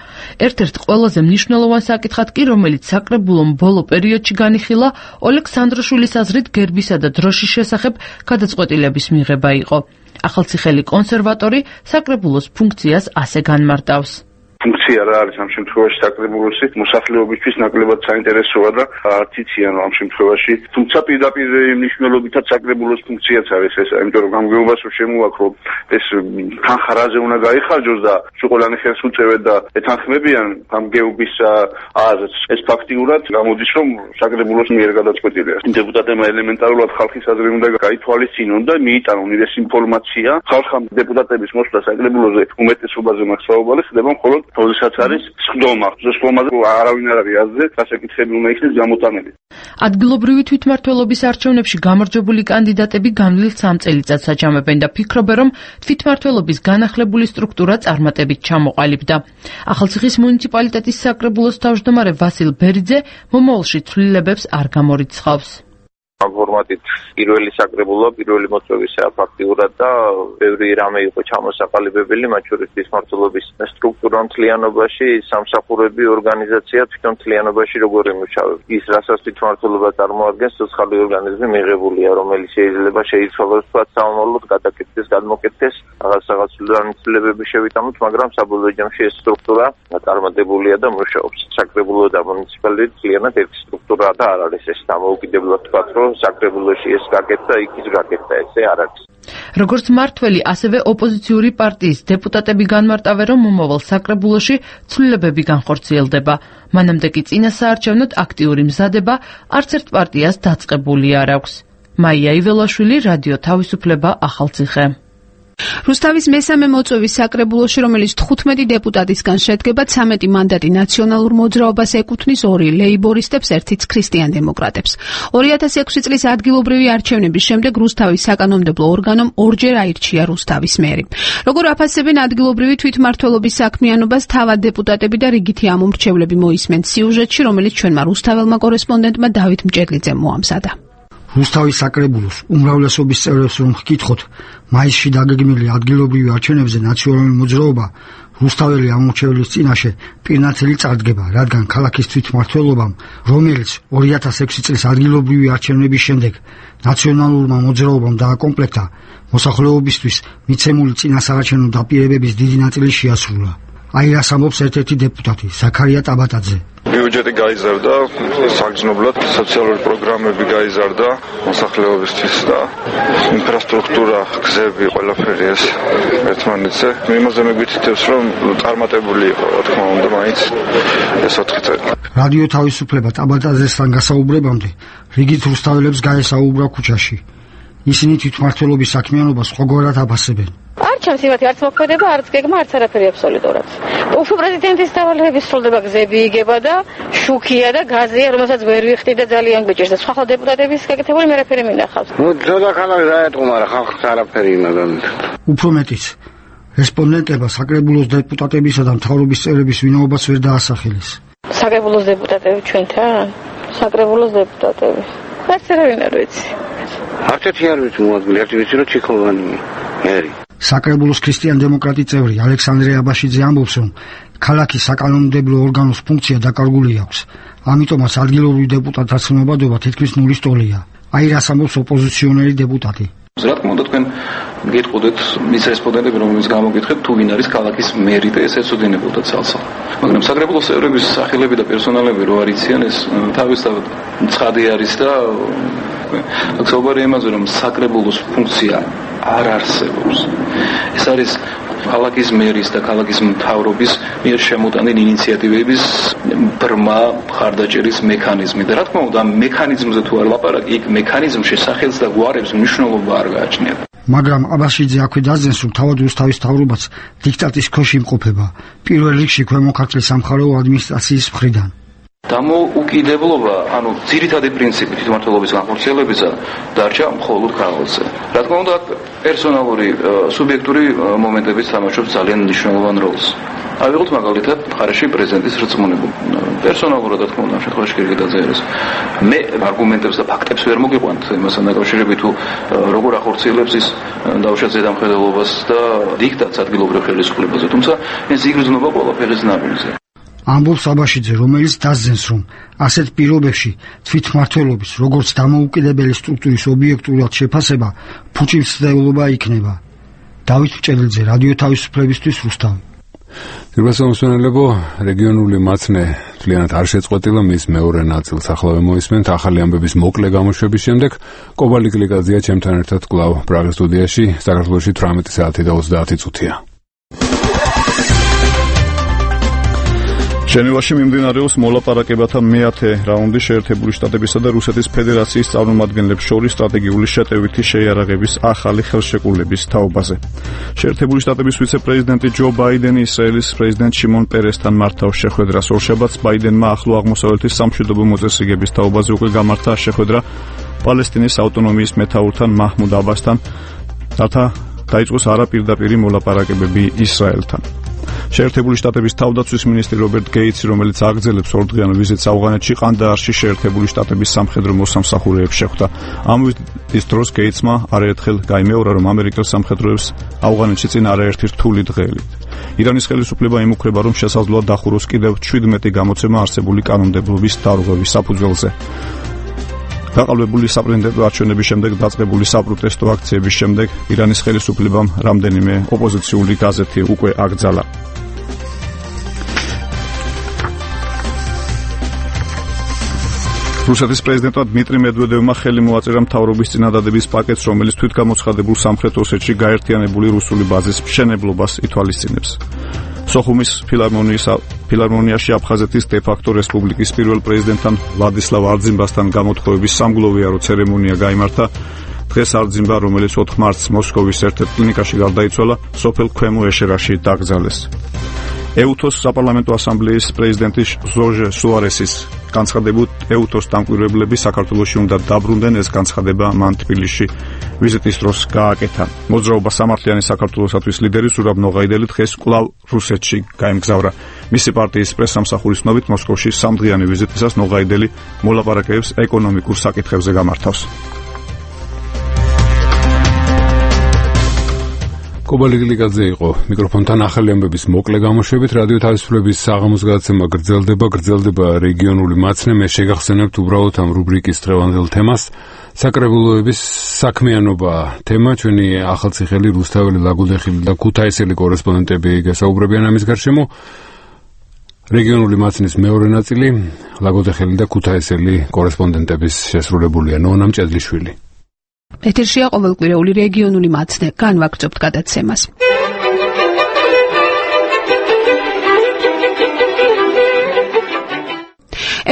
ერთ-ერთ ყველაზე მნიშვნელოვან საკითხად კი, რომელიც საკრებულომ ბოლო პერიოდში განიხილა, ოლეგ სანდროშვილის აზრით გერბისა და დროშის შესახებ გადაწყვეტილების მიღება იყო. ახალციხელი კონსერვატორი საკრებულოს ფუნქციას ასე განმარტავს. ფუნქცია რა არის ამ შემთხვევაში საკრებულოსი მოსახლეობისთვის ნაკლებად საინტერესოა და არც იციან ამ შემთხვევაში თუმცა პირდაპირ მნიშვნელობითაც საკრებულოს ფუნქციაც არის ეს იმიტომ რომ გამგეობას რომ შემოაქრო ეს თანხა რაზე უნდა გაიხარჯოს და ყველანი ხელს უწევენ და ეთანხმებიან გამგეობის აზრს ეს ფაქტიურად გამოდის რომ საკრებულოს მიერ გადაწყვეტილია დეპუტატებმა ელემენტარულად ხალხის აზრი უნდა გაითვალისწინონ და მიიტანონ ეს ინფორმაცია ხალხამ დეპუტატების მოსვლა საკრებულოზე უმეტესობაზე მაქსაობალი ხდება მხოლოდ როდესაც არის სხდომა, სხდომაზე არავინ არ არის აზრზე, გასაკითხები უნდა იქნეს გამოტანილი. ადგილობრივი თვითმმართველობის არჩევნებში გამარჯვებული კანდიდატები განვლილ სამ წელიწადს აჯამებენ და ფიქრობენ, რომ თვითმმართველობის განახლებული სტრუქტურა წარმატებით ჩამოყალიბდა. ახალციხის მუნიციპალიტეტის საკრებულოს თავმჯდომარე ვასილ ბერიძე მომავალში ცვლილებებს არ გამორიცხავს. ამ ფორმატით პირველი საკრებულო, პირველი მოწვევისა ფაქტიურად და ბევრი რამე იყო ჩამოსაყალიბებელი, მათ შორის თვითმმართველობის სტრუქტურა მთლიანობაში, სამსახურები, ორგანიზაცია თვითონ მთლიანობაში როგორ იმუშავებს. ის რასაც თვითმმართველობა წარმოადგენს, ცოცხალი ორგანიზმი მიღებულია, რომელიც შეიძლება შეიცვალოს თქვა სამომავლოდ გადაკეთდეს, გადმოკეთდეს, რაღაც რაღაც ცვლილებები შევიტანოთ, მაგრამ საბოლოო ჯამში ეს სტრუქტურა წარმატებულია და მუშაობს. საკრებულო და მუნიციპალიტეტი მთლიანად ერთი სტრუქტურაა და არ არის ეს დამოუკიდებლად თქვა, რომ საკრებულოში ეს გაკეთდა, იქ ის გაკეთდა, ესე არ არის. როგორც მართველი, ასევე ოპოზიციური პარტიის დეპუტატები განმარტავენ, რომ მომავალ საკრებულოში ცვლილებები განხორციელდება. მანამდე კი წინა საარჩევნოდ აქტიური მზადება არც ერთ პარტიას დაწყებული არ აქვს. მაია იველაშვილი, რადიო თავისუფლება, ახალციხე. რუსთავის მესამე მოწვევის საკრებულოში, რომელიც თხუთმეტი დეპუტატისგან შედგება, ცამეტი მანდატი ნაციონალურ მოძრაობას ეკუთვნის, ორი ლეიბორისტებს, ერთიც ქრისტიან დემოკრატებს. ორი ათასი ექვსი წლის ადგილობრივი არჩევნების შემდეგ რუსთავის საკანონმდებლო ორგანომ ორჯერ აირჩია რუსთავის მერი. როგორ აფასებენ ადგილობრივი თვითმმართველობის საქმიანობას, თავად დეპუტატები და რიგითი ამომრჩევლები მოისმენთ სიუჟეტში, რომელიც ჩვენმა რუსთაველმა კორესპონდენტმა დავით მჭედლიძემ მოამზადა. რუსთავის საკრებულოს უმრავლესობის წევრებს რომ ვკითხოთ, მაისში დაგეგმილი ადგილობრივი არჩევნებზე ნაციონალური მოძრაობა რუსთაველი ამომრჩევლის წინაშე პირნათელი წარდგება, რადგან ქალაქის თვითმმართველობამ, რომელიც ორი ათასი ექვსი წლის ადგილობრივი არჩევნების შემდეგ ნაციონალურმა მოძრაობამ დააკომპლექტა, მოსახლეობისთვის მიცემული წინასაარჩევნო დაპირებების დიდი ნაწილი შეასრულა. აი რას ამბობს ერთ-ერთი დეპუტატი, ზაქარია ტაბატაძე. ბიუჯეტი გაიზარდა, საგრძნობლად სოციალური პროგრამები გაიზარდა მოსახლეობისთვის და ინფრასტრუქტურა, გზები, ყველაფერი ეს ერთმანეთზე. იმაზე მიგვითითებს, რომ წარმატებული იყო, რა თქმა უნდა, მაინც ეს ოთხი წელი. რადიო თავისუფლება ტაბატაძესთან გასაუბრებამდე რიგით რუსთაველებს გაესაუბრა ქუჩაში. ისინი თვითმმართველობის საქმიანობას ყოველგვარად აფასებენ. არჩევს იმათი არც მოქმედება, არც გეგმა, არც არაფერი აბსოლუტურად. უფრო პრეზიდენტის დავალებების სრულდება, გზები იგება და შუქია და გაზია, რომელსაც ვერ ვიხდი და ძალიან გვიჭირს და სხვა დეპუტატების გაკეთებული მე რაფერი მინახავს. ნუ ძოდა ხალხი დაეთყო, მაგრამ ხალხს არაფერი იმაგან. უფრო მეტიც, რესპონდენტებმა საკრებულოს დეპუტატებისა და მთავრობის წევრების ვინაობას ვერ დაასახელეს. საკრებულოს დეპუტატები ჩვენთან? საკრებულოს დეპუტატები. არც არავინ არ ვიცი. არც ერთი არ ვიცი მოადგილე, ერთი ვიცი რომ ჩიქოვანი მერი. საკრებულოს ქრისტიან-დემოკრატი წევრი ალექსანდრე აბაშიძე ამბობს, რომ ქალაქის საკანონმდებლო ორგანოს ფუნქცია დაკარგული აქვს. ამიტომაც ადგილობრივ დეპუტატთა ცნობადობა თითქმის ნულის ტოლია. აი რას ამბობს ოპოზიციონერი დეპუტატი. რა თქმა უნდა თქვენ გეტყოდეთ მის რესპონდენტები რომელს გამოგითხეთ თუ ვინ არის ქალაქის მერი და ეს ეცოდინებოდა ცალსა. მაგრამ საკრებულოს წევრების სახელები და პერსონალები რო არიციან ეს თავისთავად ცხადი არის და აქ იმაზე რომ საკრებულოს ფუნქცია არ არსებობს. ეს არის ქალაქის მერის და ქალაქის მთავრობის მიერ შემოტანილი ინიციატივების ბრმა მხარდაჭერის მექანიზმი და რა თქმა უნდა ამ მექანიზმზე თუ არ ლაპარაკი იქ მექანიზმში სახელს და გვარებს მნიშვნელობა არ გააჩნიათ. მაგრამ აბაშიძე აქვე დაძენს, რომ თავად რუსთავის მთავრობაც დიქტატის ქვეშ იმყოფება, პირველ რიგში ქვემო ქართლის სამხარეო ადმინისტრაციის მხრიდან. დამოუკიდებლობა, ანუ ძირითადი პრინციპი თვითმმართველობის განხორციელებისა დარჩა მხოლოდ քաղաքზე. რა თქმა უნდა, პერსონალური სუბიექტური მომენტებიც თამაშობს ძალიან მნიშვნელოვან როლს. ავიღოთ მაგალითად მხარეში პრეზიდენტის რწმუნება. პერსონალურად რა თქმა უნდა, ამ შემთხვევაში კი გადაწერეს. მე არგუმენტებს და ფაქტებს ვერ მოგიყვანთ იმასთან დაკავშირებით თუ როგორ ახორციელებს ის დავუშვათ ზედამხედველობას და დიქტატს ადგილობრივ ხელისუფლებაზე. თუმცა ეს იგრძნობა ყველაფერის ნაბიჯზე. ამბობს აბაშიძე, რომელიც დასძენს, რომ ასეთ პირობებში თვითმმართველობის, როგორც დამოუკიდებელი სტრუქტურის ობიექტურად შეფასება ფუჭისმცემლობა იქნება. დავით ჭედლიძე, რადიო თავისუფლებისთვის, რუსთავი. ძირბასო მსმენელებო, რეგიონული მაცნე თლიანად არ შეწყვეტილა, მის მეორე ნაწილს ახლა მოვისმენთ. ახალი ამბების მოკლე გამოშვების შემდეგ კობალი გლიკაძეა ჩემთან ერთად კვლავ პრაღის სტუდიაში. საქართველოში თვრამეტი საათი და ოცდაათი წუთია. ჟენევაში მიმდინარეობს მოლაპარაკებათა მეათე რაუნდი შეერთებული შტატებისა და რუსეთის ფედერაციის წარმომადგენლებს შორის სტრატეგიული შეტევითი შეიარაღების ახალი ხელშეკრულების თაობაზე. შეერთებული შტატების ვიცე-პრეზიდენტი ჯო ბაიდენი ისრაელის პრეზიდენტ შიმონ პერესთან მართავს შეხვედრას. ორშაბათს ბაიდენმა ახლო აღმოსავლეთის სამშვიდობო მოწესრიგების თაობაზე უკვე გამართა შეხვედრა პალესტინის ავტონომიის მეთაურთან მაჰმუდ აბასთან, რათა დაიწყოს არაპირდაპირი მოლაპარაკებები ისრაელთან. შეერთებული შტატების თავდაცვის მინისტრი რობერტ გეიცი, რომელიც აგრძელებს ორდღიურ ვიზიტს ავღანეთში, ყანდაარში შეერთებული შტატების სამხედრო მოსამსახურეებს შეხვდა. ამ ვიზიტის დროს გეიცმა არაერთხელ გაიმეორა, რომ ამერიკელ სამხედროებს ავღანეთში წინ არაერთი რთული დღე ელით. ირანის ხელისუფლება იმუქრება, რომ შესაძლოა დახუროს კიდევ შვიდმეტი გამოცემა არსებული კანონმდებლობის დარღვევის საფუძველზე. გაყალბებული საპრეზიდენტო არჩევნების შემდეგ დაწყებული საპროტესტო აქციების შემდეგ ირანის ხელისუფლებამ რამდენიმე ოპოზიციური გაზეთი უკვე აკრძალა. რუსეთის პრეზიდენტმა დმიტრი მედვედევმა ხელი მოაწერა მთავრობის წინადადების პაკეტს, რომელიც თვითგამოცხადებულ სამხრეთ ოსეთში გაერთიანებული რუსული ბაზის მშენებლობას ითვალისწინებს. სოხუმის ფილარმონიის ფილარმონიაში აფხაზეთის დე-ფაქტო რესპუბლიკის პირველ პრეზიდენტთან ვლადისლავ არძიმბასთან გამოთხოვების სამგლოვიარო ცერემონია გაიმართა. დღეს არძიმბა, რომელიც ოთხ მარტს მოსკოვის ერთ-ერთ კლინიკაში გარდაიცვალა, სოფელ ქვემო ეშერაში დაკრძალეს. ეუთოს საპარლამენტო ასამბლეის პრეზიდენტი ჟორჟ სუარესის განცხადებით, ეუთოს დამკვირვებლები საქართველოში უნდა დაბრუნდნენ. ეს განცხადება მან თბილისში ვიზიტის დროს გააკეთა. მოძრაობა სამართლიანი საქართველოსათვის ლიდერი ზურაბ ნოღაიდელი დღეს კვლავ რუსეთში გაემგზავრა. მისი პარტიის პრესსამსახურის ცნობით, მოსკოვში სამდღიანი ვიზიტისას ნოღაიდელი მოლაპარაკებებს ეკონომიკურ საკითხებზე გამართავს. კობალი გლიკაძე იყო მიკროფონთან. ახალი ამბების მოკლე გამოშვებით. რადიო თავისუფლების საღამოს გადაცემა გრძელდება, გრძელდება რეგიონული მაცნე. მე შეგახსენებთ უბრალოდ ამ რუბრიკის დღევანდელ თემას. საკრებულოების საქმიანობა თემა. ჩვენი ახალციხელი, რუსთაველი, ლაგოდეხილი და ქუთაისელი კორესპონდენტები გასაუბრებიან ამის გარშემო. რეგიონული მაცნის მეორე ნაწილი, ლაგოდეხილი და ქუთაისელი კორესპონდენტების შესრულებულია. ნონამ ჭედლიშვილი. ეთერშია ყოველკვირეული რეგიონული მაცნე. განვაგრძობთ გადაცემას.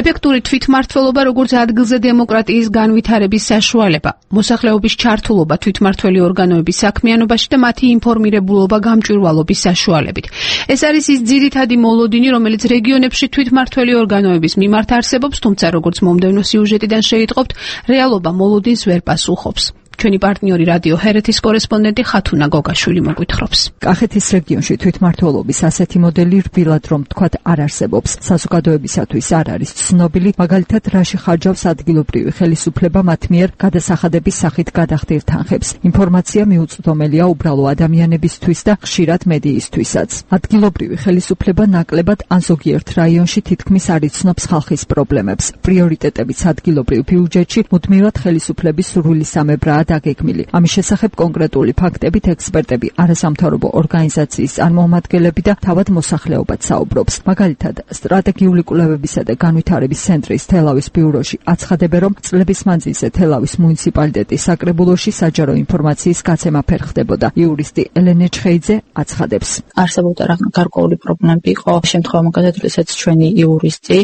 ეფექტური თვითმმართველობა როგორც ადგილზე დემოკრატიის განვითარების საშუალება, მოსახლეობის ჩართულობა თვითმმართველი ორგანოების საქმიანობაში და მათი ინფორმირებულობა გამჭვირვალობის საშუალებით. ეს არის ის ძირითადი მოლოდინი, რომელიც რეგიონებში თვითმმართველი ორგანოების მიმართ არსებობს, თუმცა როგორც მომდევნო სიუჟეტიდან შეიტყობთ, რეალობა მოლოდინს ვერ პასუხობს. ჩვენი პარტნიორი რადიო ჰერეთის კორესპონდენტი ხათუნა გოგაშვილი მოგვითხრობს. კახეთის რეგიონში თვითმმართველობის ასეთი მოდელი რბილად რომ თქვათ არ არსებობს. საზოგადოებისათვის არ არის ცნობილი, მაგალითად რაში ხარჯავს ადგილობრივი ხელისუფლება მათ მიერ გადასახადების სახით გადახდირ თანხებს. ინფორმაცია მიუწვდომელია უბრალო ადამიანებისთვის და ხშირად მედიისთვისაც. ადგილობრივი ხელისუფლება ნაკლებად ან ზოგიერთ რაიონში თითქმის არ იცნობს ხალხის პრობლემებს. პრიორიტეტებიც ადგილობრივ ბიუჯეტში მუდმივად ხელისუფლების სრულისამებრაა დაგეგმილი. ამის შესახებ კონკრეტული ფაქტებით ექსპერტები, არასამთავრობო ორგანიზაციის წარმომადგენლები და თავად მოსახლეობაც საუბრობს. მაგალითად, სტრატეგიული კვლევებისა და განვითარების ცენტრის თელავის ბიუროში აცხადებენ, რომ წლების მანძილზე თელავის მუნიციპალიტეტის საკრებულოში საჯარო ინფორმაციის გაცემა ფერხდებოდა. იურისტი ელენე ჩხეიძე აცხადებს. არსებობდა გარკვეული პრობლემები იყო შემთხვევა მაგალითად, როდესაც ჩვენი იურისტი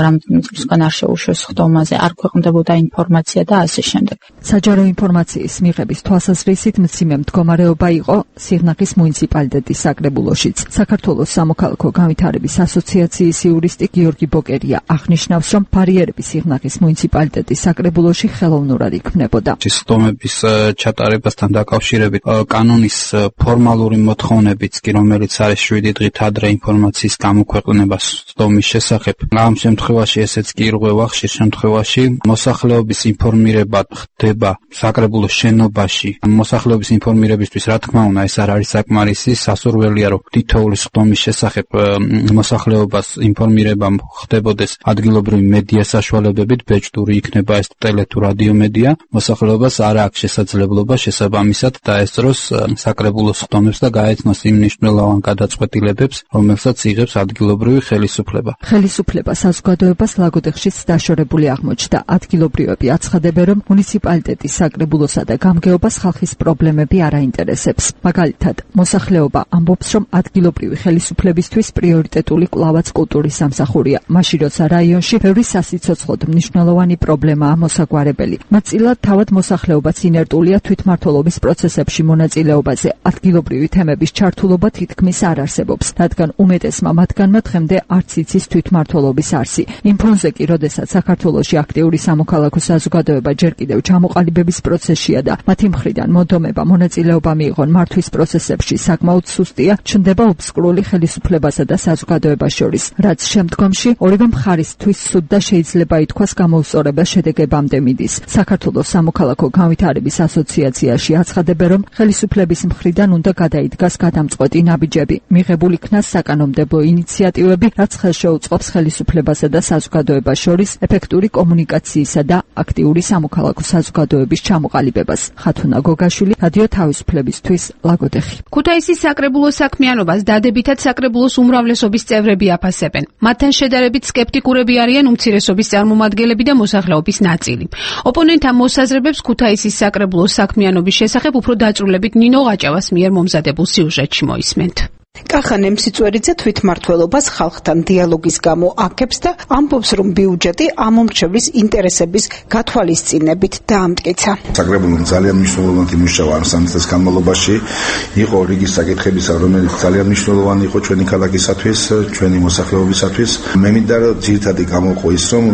რამდენიმე წლისგან არ შეუშვეს ხდომაზე, არ ქვეყნდებოდა ინფორმაცია და ასე შემდეგ. საჯარო ინფორმაციის მიღების თვალსაზრისით მძიმე მდგომარეობა იყო სიღნაღის მუნიციპალიტეტის საკრებულოშიც. საქართველოს სამოქალაქო განვითარების ასოციაციის იურისტი გიორგი ბოკერია აღნიშნავს, რომ ბარიერები სიღნაღის მუნიციპალიტეტის საკრებულოში ხელოვნურად იქმნებოდა. ხდომების ჩატარებასთან დაკავშირებით კანონის ფორმალური მოთხოვნებიც კი, რომელიც არის შვიდი დღით ადრე ინფორმაციის გამოქვეყნება ხდომის შესახებ, ამ შემთხვევაში ესეც კი ირღვევა. ხშირ შემთხვევაში მოსახლეობის ინფორმირება ხდება საკრებულოს შენობაში. მოსახლეობის ინფორმირებისთვის, რა თქმა უნდა, ეს არ არის საკმარისი. სასურველია, რომ თითოეული ხდომის შესახებ მოსახლეობას ინფორმირება ხდებოდეს ადგილობრივი მედია საშუალებებით, ბეჭდური იქნება ეს ტელე თუ რადიო მედია. მოსახლეობას არ აქვს შესაძლებლობა შესაბამისად დაესწროს საკრებულოს ხდომებს და გაეცნოს იმ მნიშვნელოვან გადაწყვეტილებებს, რომელსაც იღებს ადგილობრივი ხელისუფლება. ხელისუფლება საზოგადოებას ლაგოდეხშიც დაშორებული აღმოჩნდა. ადგილობრივები აცხადებენ, რომ მუნიციპალიტეტის საკრებულოსა და გამგეობას ხალხის პრობლემები არ აინტერესებს. მაგალითად, მოსახლეობა ამბობს, რომ ადგილობრივი ხელისუფლებისთვის პრიორიტეტული კვლავაც კულტურის სამსახურია, მაშინ როცა რაიონში ბევრი სასიცოცხლოდ მნიშვნელოვანი პრობლემაა მოსაგვარებელი. ნაწილად თავად მოსახლეობაც ინერტულია თვითმმართველობის პროცესებში მონაწილეობაზე. ადგილობრივი თემების ჩართულობა თითქმის არ არსებობს, რადგან უმეტესმა მათგანმა დღემდე არც იცის თვითმმართველობის არსი. იმ ფონზე კი, როდესაც საქართველოში აქტიური სამოქალაქო საზოგადოება ჯერ კიდევ ჩამოყალიბების პროცესშია და მათი მხრიდან მონდომება მონაწილეობა მიიღონ მართვის პროცესებში საკმაოდ სუსტია, ჩნდება ობსკურული ხელისუფლებასა და საზოგადოებას შორის, რაც შემდგომში ორივე მხარისთვის სუდ და შეიძლება ითქვას გამოუსწორებელ შედეგებამდე მიდის. საქართველოს სამოქალაქო განვითარების ასოციაციაში აცხადებენ, რომ ხელისუფლების მხრიდან უნდა გადაიდგას გადამწყვეტი ნაბიჯები, მიღებულ იქნას საკანონმდებლო ინიციატივები, რაც ხელშეუწყობს ხელისუფლებასა და საზოგადოებას შორის ეფექტური კომუნიკაციისა და აქტიური სამოქალაქო საზოგადოების ჩამოყალიბებას. ხათუნა გოგაშვილი, რადიო თავისუფლებისთვის, ლაგოდეხი. ქუთაისის საკრებულოს საქმიანობას დადებითად საკრებულოს უმრავლესობის წევრები აფასებენ. მათთან შედარებით სკეპტიკურები არიან უმცირესობის წარმომადგენლები და მოსახლეობის ნაწილი. ოპონენტთა მოსაზრებებს ქუთაისის საკრებულოს საქმიანობის შესახებ უფრო დაწვრილებით ნინო ყაჭავას მიერ მომზადებულ სიუჟეტში მოისმენთ. კახანე მსიწვერიძე თვითმმართველობას ხალხთან დიალოგის გამო აქებს და ამბობს, რომ ბიუჯეტი ამომრჩევლის ინტერესების გათვალისწინებით დაამტკიცა. საკრებულომ ძალიან მნიშვნელოვანი მუშაობა ამ სამი წლის განმავლობაში იყო რიგი საკითხებისა, რომელიც ძალიან მნიშვნელოვანი იყო ჩვენი ქალაქისათვის, ჩვენი მოსახლეობისათვის. მე მინდა რომ ძირითადი გამოყო ის, რომ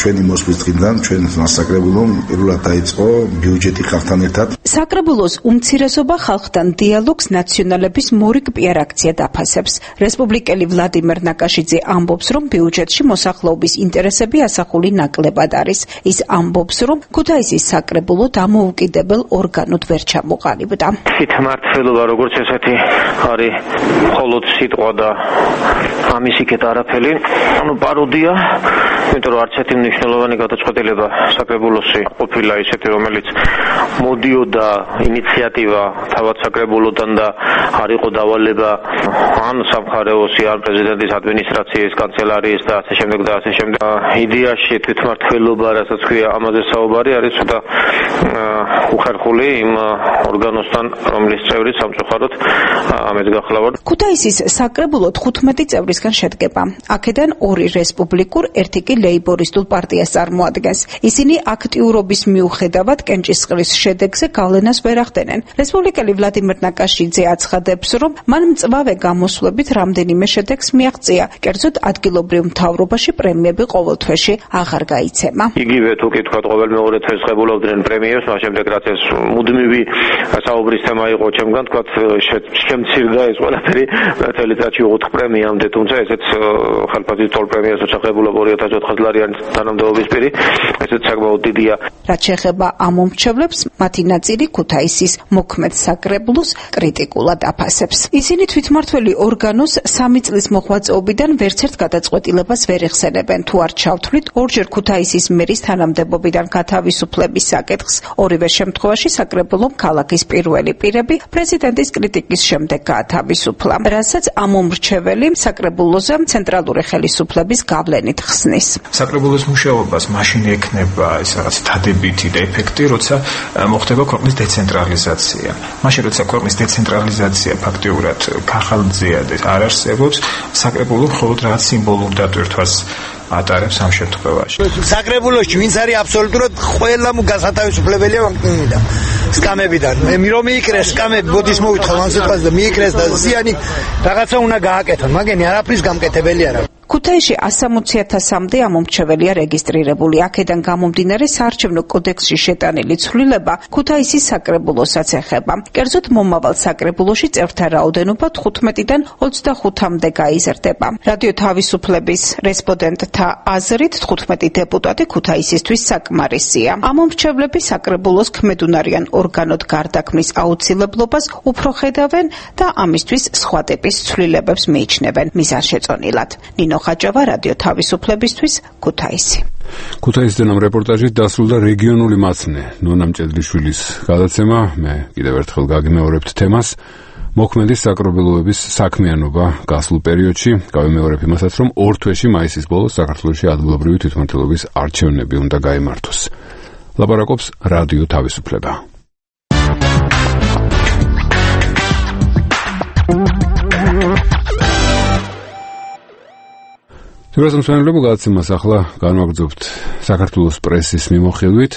ჩვენი მოსვლის დღიდან ჩვენ საკრებულომ პირველად დაიწყო ბიუჯეტი ხალხთან ერთად. საკრებულოს უმცირესობა ხალხთან დიალოგს ნაციონალების მორიგ პიარაქცია დაფასებს. რესპუბლიკელი ვლადიმერ ნაკაშიძე ამბობს, რომ ბიუჯეტში მოსახლეობის ინტერესები ასახული ნაკლებად არის. ის ამბობს, რომ ქუთაისის საკრებულო დამოუკიდებელ ორგანოდ ვერ ჩამოყალიბდა. თვითმმართველობა როგორც ესეთი არის მხოლოდ სიტყვა და ამის იქეთ არაფერი, ანუ პაროდია, იმიტომ რომ არც ერთი მნიშვნელოვანი გადაწყვეტილება საკრებულოში ყოფილა ისეთი, რომელიც მოდიოდა ინიციატივა თავად საკრებულოდან და არ იყო დავალება ან სამხარეოსი, ან პრეზიდენტის ადმინისტრაციის კანცელარიის და ასე შემდეგ და ასე შემდეგ. იდეაში თვითმმართველობა, რასაც ქვია, ამაზე საუბარი არის ცოტა უხერხული იმ ორგანოსთან, რომლის წევრი სამწუხაროდ ამეთ გახლავართ. ქუთაისის საკრებულო თხუთმეტი წევრისგან შედგება. აქედან ორი რესპუბლიკურ, ერთი კი ლეიბორისტულ პარტიას წარმოადგენს. ისინი აქტიურობის მიუხედავად კენჭისყრის შედეგზე გავლენას ვერ ახდენენ. რესპუბლიკელი ვლადიმერ ნაკაშიძე აცხადებს, რომ მან მწვავე გამოსვლებით რამდენიმე შედეგს მიაღწია, კერძოდ ადგილობრივ მთავრობაში პრემიები ყოველ თვეში აღარ გაიცემა. იგივე თუ კითხავთ, ყოველ მეორე თვეს ღებულობდნენ პრემიებს პრემიებს, მას შემდეგ რაც ეს მუდმივი საუბრის თემა იყო ჩემგან, თქვათ შემცირდა ეს ყველაფერი წელიწადში ოთხ პრემიამდე, თუმცა ესეც ხალხის თორ პრემიას უცხებულობ ორი ათას ოთხას ლარიანი თანამდებობის პირი, ესეც საკმაოდ დიდია. რაც შეეხება ამ მომრჩევლებს, მათი ნაწილი ქუთაისის მოქმედ საკრებულოს კრიტიკულად აფასებს. ისინი თვითმმართველი ორგანოს სამი წლის მოღვაწეობიდან ვერცერთ გადაწყვეტილებას ვერ ეხსენებენ. თუ არ ჩავთვლით, ორჯერ ქუთაისის მერის თანამდებობიდან გათავისუფლების საკითხს, ორივე შემთხვევაში საკრებულომ ქალაქის პირველი პირები პრეზიდენტის კრიტიკის შემდეგ გაათავისუფლა, რასაც ამ მომრჩეველი საკრებულოზე ცენტრალური ხელისუფლების გავლენით ხსნის. საკრებულოს მუშაობას მაშინ ექნება ეს რაღაც დადებითი და ეფექტი, როცა მოხდება ქვეყნის დეცენტრალიზაცია. მაშინ როცა ქვეყნის დეცენტრალიზაცია ფაქტიურად ხალხზეა და არ არსებობს, საკრებულო მხოლოდ რაღაც სიმბოლურ დატვირთვას ატარებს ამ შემთხვევაში. საკრებულოში ვინც არის აბსოლუტურად ყველა გასათავისუფლებელია ვაკნინიდან, სკამებიდან. მე რომ მიიკრეს სკამები, ბოდის მოვითხა ამ სიტყვაზე და მიიკრეს და ზიანი რაღაცა უნდა გააკეთონ, მაგენი არაფრის გამკეთებელი არა. ქუთაისში ასამოცი ათასამდე ამომრჩეველია რეგისტრირებული. აქედან გამომდინარე საარჩევნო კოდექსში შეტანილი ცვლილება ქუთაისის საკრებულოსაც ეხება. კერძოდ მომავალ საკრებულოში წევრთა რაოდენობა თხუთმეტიდან ოცდახუთამდე გაიზრდება. რადიო თავისუფლების რესპონდენტთა აზრით თხუთმეტი დეპუტატი ქუთაისისთვის საკმარისია. ამომრჩევლები საკრებულოს ქმედუნარიან ორგანოდ გარდაქმნის აუცილებლობას უფრო ხედავენ და ამისთვის სხვა ტიპის ცვლილებებს მიიჩნევენ მიზანშეწონილად. ნინო ხაჭავა, რადიო თავისუფლებისთვის, ქუთაისი. ქუთაისიდან ამ რეპორტაჟით დასრულდა რეგიონული მაცნე ნონა მჭედლიშვილის გადაცემა. მე კიდევ ერთხელ გაგიმეორებთ თემას. მოქმედი საკრებულოების საქმიანობა გასულ პერიოდში. გავიმეორებ იმასაც, რომ ორ თვეში მაისის ბოლოს საქართველოში ადგილობრივი თვითმმართველობის არჩევნები უნდა გაიმართოს. ლაპარაკობს რადიო თავისუფლება. თურასმსმენელებო გადაცემას ახლა განვაგრძობთ საქართველოს პრესის მიმოხილვით.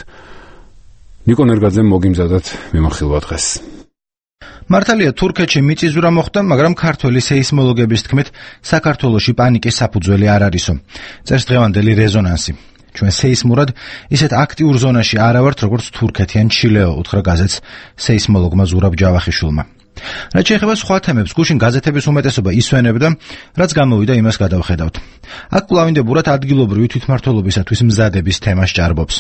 ნიკო ნერგაძემ მოგიმზადათ მიმოხილვა დღეს. მართალია თურქეთში მიწისძვრა მოხდა, მაგრამ ქართველი სეისმოლოგების თქმით საქართველოში პანიკის საფუძველი არ არისო. წერს დღევანდელი რეზონანსი. ჩვენ სეისმურად ისეთ აქტიურ ზონაში არა ვართ, როგორც თურქეთი ან ჩილეო, უთხრა გაზეთს სეისმოლოგმა ზურაბ ჯავახიშვილმა. რაც შეეხება სხვა თემებს, გუშინ გაზეთების უმეტესობა ისვენებდა, რაც გამოვიდა იმას გადავხედავთ. აქ კვლავინდებურად ადგილობრივი თვითმმართველობისათვის მზადების თემა სჭარბობს.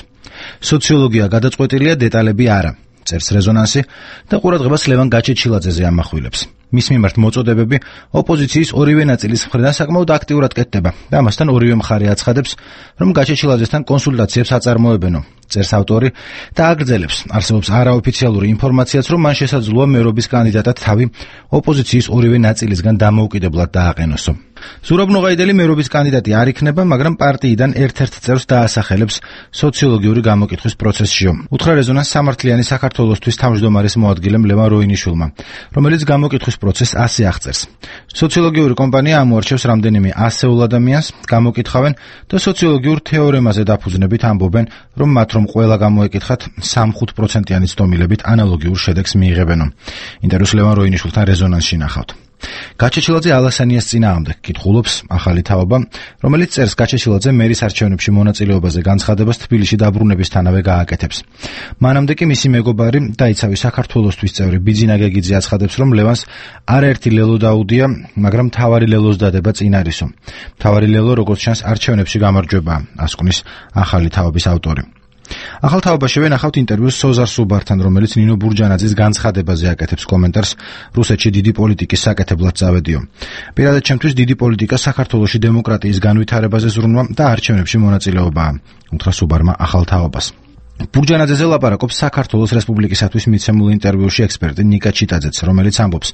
სოციოლოგია გადაწყვეტილია, დეტალები არა, წერს რეზონანსი და ყურადღებას ლევან გაჩეჩილაძეზე ამახვილებს. მის მიმართ მოწოდებები ოპოზიციის ორივე ნაწილის მხრიდან საკმაოდ აქტიურად კეთდება და ამასთან ორივე მხარე აცხადებს, რომ გაჩეჩილაძესთან კონსულტაციებს აწარმოებენო. წერს ავტორი და აგრძელებს, არსებობს არაოფიციალური ინფორმაციაც, რომ მან შესაძლოა მერობის კანდიდატად თავი ოპოზიციის ორივე ნაწილისგან დამოუკიდებლად დააყენოსო. ზურაბ ნოღაიდელი მერობის კანდიდატი არ იქნება, მაგრამ პარტიიდან ერთ-ერთ წევრს დაასახელებს სოციოლოგიური გამოკითხვის პროცესშიო. უთხრა რეზონანს სამართლიანი საქართველოსთვის თავმჯდომარის მოადგილემ ლევან როინიშვილმა, რომელიც გამოკითხვის პროცესს ასე აღწერს. სოციოლოგიური კომპანია ამოარჩევს რამდენიმე ასეულ ადამიანს, გამოკითხავენ და სოციოლოგიურ თეორემაზე დაფუძნებით ამბობენ, რომ მათ რომ ყველა გამოეკითხათ სამი პროცენტიანი ცდომილებით ანალოგიურ შედეგს მიიღებენო. ინტერვიუს ლევან როინიშვილთან რეზონანსში ნახავთ. გაჩეჩილაძე ალასანიას წინააღმდეგ კითხულობს ახალი თაობა, რომელიც წერს გაჩეჩილაძე მერის არჩევნებში მონაწილეობაზე განცხადებას თბილისში დაბრუნებისთანავე გააკეთებს. მანამდე კი მისი მეგობარი და იცავი საქართველოსთვის წევრი ბიძინა გეგიძე აცხადებს, რომ ლევანს არაერთი ლელო დაუდია, მაგრამ მთავარი ლელოს დადება წინ არისო. მთავარი ლელო, როგორც ჩანს, არჩევნებში გამარჯვებაა, ასკვნის ახალი თაობის ავტორი. ახალ თაობაში ვენახავთ ინტერვიუს სოზარ სუბართან, რომელიც ნინო ბურჯანაძის განცხადებაზე აკეთებს კომენტარს რუსეთში დიდი პოლიტიკის საკეთებლად წავედიო. პირადად ჩემთვის დიდი პოლიტიკა საქართველოში დემოკრატიის განვითარებაზე ზრუნვა და არჩევნებში მონაწილეობაა, უთხრა სუბარმა ახალ თაობას. ბურჯანაძეზე ლაპარაკობს საქართველოს რესპუბლიკისათვის მიცემულ ინტერვიუში ექსპერტი ნიკა ჩიტაძეც, რომელიც ამბობს,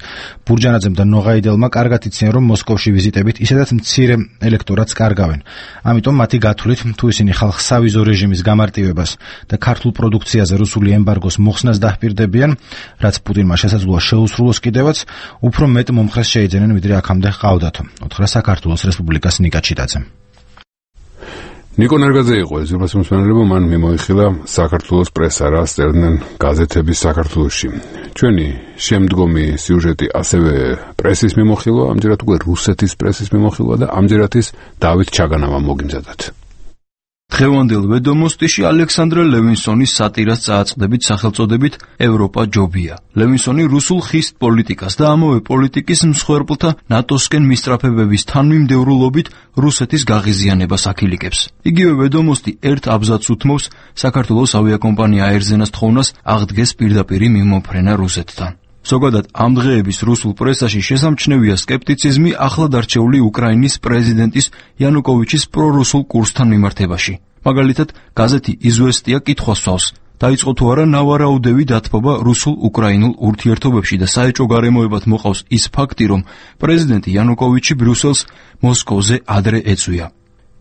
ბურჯანაძემ და ნოღაიდელმა კარგად იციან, რომ მოსკოვში ვიზიტებით ისედაც მცირე ელექტორატს კარგავენ. ამიტომ მათი გათვლით, თუ ისინი ხალხს სავიზო რეჟიმის გამარტივებას და ქართულ პროდუქციაზე რუსული ემბარგოს მოხსნას დაჰპირდებიან, რაც პუტინმა შესაძლოა შეუსრულოს კიდევაც, უფრო მეტ მომხრეს შეიძენენ, ვიდრე აქამდე ჰყავდათო, უთხრა საქართველოს რესპუბლიკას ნიკა ჩიტაძემ. ნიკო ნერგაძე იყო ეს უპასუხისმგებლობა, მან მიმოიხილა საქართველოს პრესა, რა სწერდნენ გაზეთების საქართველოში. ჩვენი შემდგომი სიუჟეტი ასევე პრესის მიმოხილვა, ამჯერად უკვე რუსეთის პრესის მიმოხილვა და ამჯერად ის დავით ჩაგანავამ მოგიმზადათ. დღევანდელ ვედომოსტიში ალექსანდრე ლევინსონის სატირას წააწყდებით სახელწოდებით ევროპა ჯობია. ლევინსონი რუსულ ხისტ პოლიტიკას და ამავე პოლიტიკის მსხვერპლთა ნატოსკენ მისწრაფებების თანმიმდევრულობით რუსეთის გაღიზიანებას აქილიკებს. იგივე ვედომოსტი ერთ აბზაცს უთმობს საქართველოს ავიაკომპანია აერზენას თხოვნას აღდგეს პირდაპირი მიმოფრენა რუსეთთან. ზოგადად ამ დღეების რუსულ პრესაში შესამჩნევია სკეპტიციზმი ახლად არჩეული უკრაინის პრეზიდენტის იანუკოვიჩის პრორუსულ კურსთან მიმართებაში. მაგალითად, გაზეთი იზვესტია კითხვას სვავს: დაიწყო თუ არა ნავარაუდევი დათბობა რუსულ-უკრაინულ ურთიერთობებში და საეჭვო გარემოებად მოყავს ის ფაქტი, რომ პრეზიდენტი იანუკოვიჩი ბრიუსელს მოსკოვზე ადრე ეწვია.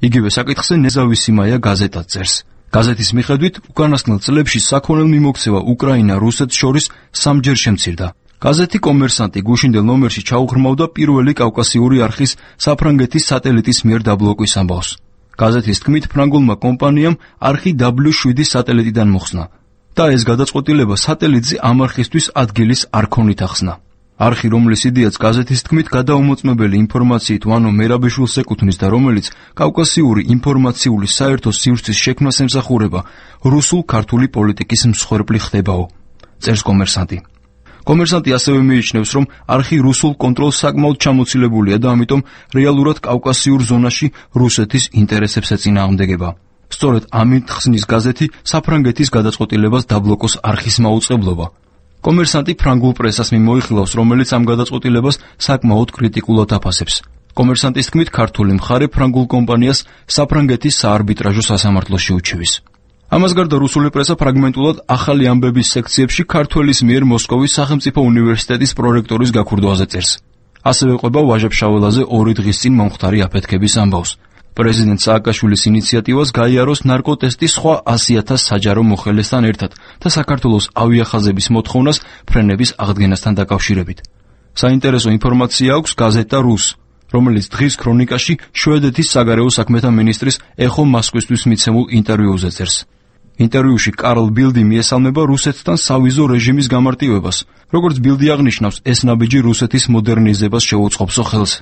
იგივე საკითხზე ნეზავისიმაია გაზეტად წერს. გაზეთის მიხედვით, უკანასკნელ წლებში საქონელ მიმოქცევა უკრაინა-რუსეთს შორის სამჯერ შემცირდა. გაზეთი კომერსანტი გუშინდელ ნომერში ჩაუღრმავდა პირველი კავკასიური არხის საფრანგეთის სატელიტის მიერ დაბლოკვის ამბავს. გაზეთის თქმით, ფრანგულმა კომპანიამ არხი დაბლიუ შვიდი სატელიტიდან მოხსნა და ეს გადაწყვეტილება სატელიტზე ამ არხისთვის ადგილის არ ქონით ახსნა. არხი, რომლის იდეაც გაზეთის თქმით გადაუმოწმებელი ინფორმაციით ვანო მერაბეშვილს ეკუთვნის და რომელიც კავკასიური ინფორმაციული საერთო სივრცის შექმნას ემსახურება, რუსულ-ქართული პოლიტიკის მსხვერპლი ხდებაო, წერს კომერსანტი. კომერსანტი ასევე მიიჩნევს, რომ არხი რუსულ კონტროლს საკმაოდ ჩამოცილებულია და ამიტომ რეალურად კავკასიურ ზონაში რუსეთის ინტერესებს ეწინააღმდეგება. სწორედ ამით ხსნის გაზეთი საფრანგეთის გადაწყვეტილებას დაბლოკოს არხის მაუწყებლობა. კომერსანტი ფრანგულ პრესას მიმოიხილავს, რომელიც ამ გადაწყვეტილებას საკმაოდ კრიტიკულად აფასებს. კომერსანტის თქმით, ქართული მხარე ფრანგულ კომპანიას საფრანგეთის საარბიტრაჟო სასამართლოში უჩივის. ამას გარდა რუსული პრესა ფრაგმენტულად ახალი ამბების სექციებში ქართველის მიერ მოსკოვის სახელმწიფო უნივერსიტეტის პრორექტორის გაქურდვაზე წერს. ასევე ყვება ვაჟა-ფშაველაზე ორი დღის წინ მომხდარი აფეთქების ამბავს. პრეზიდენტ სააკაშვილის ინიციატივას გაიაროს ნარკოტესტი სხვა ასი ათას საჯარო მოხელესთან ერთად და საქართველოს ავიახაზების მოთხოვნას ფრენების აღდგენასთან დაკავშირებით. საინტერესო ინფორმაცია აქვს გაზეტა რუს, რომელიც დღის ქრონიკაში შვედეთის საგარეო საქმეთა მინისტრის ეხო მასკვისთვის მიცემულ ინტერვიუზე წერს. ინტერვიუში კარლ ბილდი მიესალმება რუსეთთან სავიზო რეჟიმის გამარტივებას, როგორც ბილდი აღნიშნავს, ეს ნაბიჯი რუსეთის მოდერნიზებას შეუწყობსო ხელს.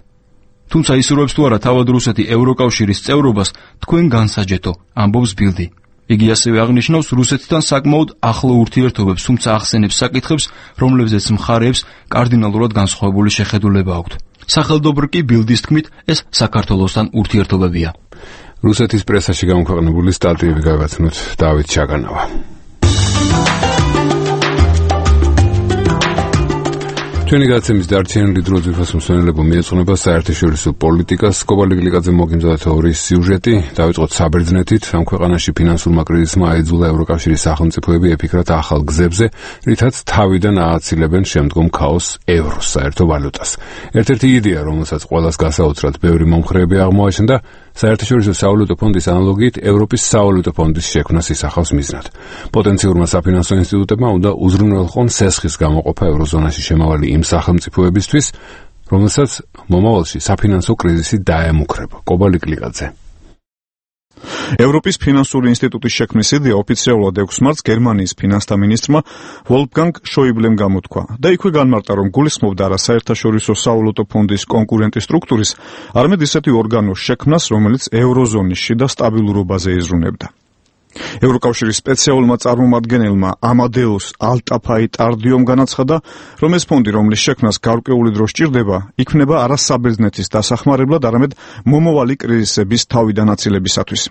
თუმცა ისურვებს თუ არა თავად რუსეთი ევროკავშირის წევრობას, თქვენ განსაჯეთო, ამბობს ბილდი. იგი ასევე აღნიშნავს რუსეთთან საკმაოდ ახლო ურთიერთობებს, თუმცა ახსენებს საკითხებს, რომლებზეც მხარეებს კარდინალურად განსხვავებული შეხედულება აქვთ. სახელდობრ კი ბილდის თქმით, ეს საქართველოსთან ურთიერთობებია. რუსეთის პრესაში გამოქვეყნებული სტატიები გავაცნოთ დავით ჩაგანავა. ჩვენი გადაცემის დარჩენილი დრო ძვირფას მსმენელებო მიეძღვნება საერთაშორისო პოლიტიკას. კობა ლიგლიკაძე მოგიმზადა თეორიის სიუჟეტი. დავიწყოთ საბერძნეთით. ამ ქვეყანაში ფინანსურმა კრიზისმა აიძულა ევროკავშირის სახელმწიფოები ეფიქრათ ახალ გზებზე, რითაც თავიდან ააცილებენ შემდგომ ქაოსს ევროს საერთო ვალუტას. ერთ-ერთი იდეა, რომელსაც ყველას გასაოცრად ბევრი მომხრეები აღმოაჩნდა, საერთაშორისო სავალუტო ფონდის ანალოგიით ევროპის სავალუტო ფონდის შექმნას ისახავს მიზნად. პოტენციურმა საფინანსო ინსტიტუტებმა უნდა უზრუნველყონ სესხის გამოყოფა ევროზონაში შემავალი იმ სახელმწიფოებისთვის, რომელსაც მომავალში საფინანსო კრიზისი დაემუქრება. კობა ლიგლიკაძე. ევროპის ფინანსური ინსტიტუტის შექმნის იდეა ოფიციალურად ექვს მარტს გერმანიის ფინანსთა მინისტრმა ვოლფგანგ შოიბლემ გამოთქვა და იქვე განმარტა, რომ გულისხმობდა არა საერთაშორისო სავალუტო ფონდის კონკურენტი სტრუქტურის, არამედ ისეთი ორგანოს შექმნას, რომელიც ევროზონის შიდა სტაბილურობაზე იზრუნებდა. ევროკავშირის სპეციალურმა წარმომადგენელმა ამადეუს ალტაფაი-ტარდიომ განაცხადა, რომ ეს ფონდი, რომლის შექმნას გარკვეული დრო სჭირდება, იქმნება არა საბერძნეთის დასახმარებლად, არამედ მომავალი კრიზისების თავიდან აცილებისათვის.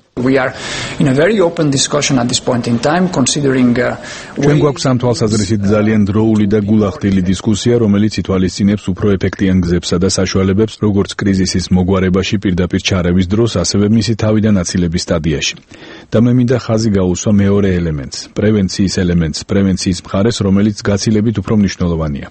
ჩვენ გვაქვს ამ თვალსაზრისით ძალიან დროული და გულახდილი დისკუსია, რომელიც ითვალისწინებს უფრო ეფექტიან გზებსა და საშუალებებს, როგორც კრიზისის მოგვარებაში პირდაპირ ჩარევის დროს, ასევე მისი თავიდან აცილების სტადიაში. და მე მინდა ხაზი გაუსვა მეორე ელემენტს, პრევენციის ელემენტს, პრევენციის მხარეს, რომელიც გაცილებით უფრო მნიშვნელოვანია.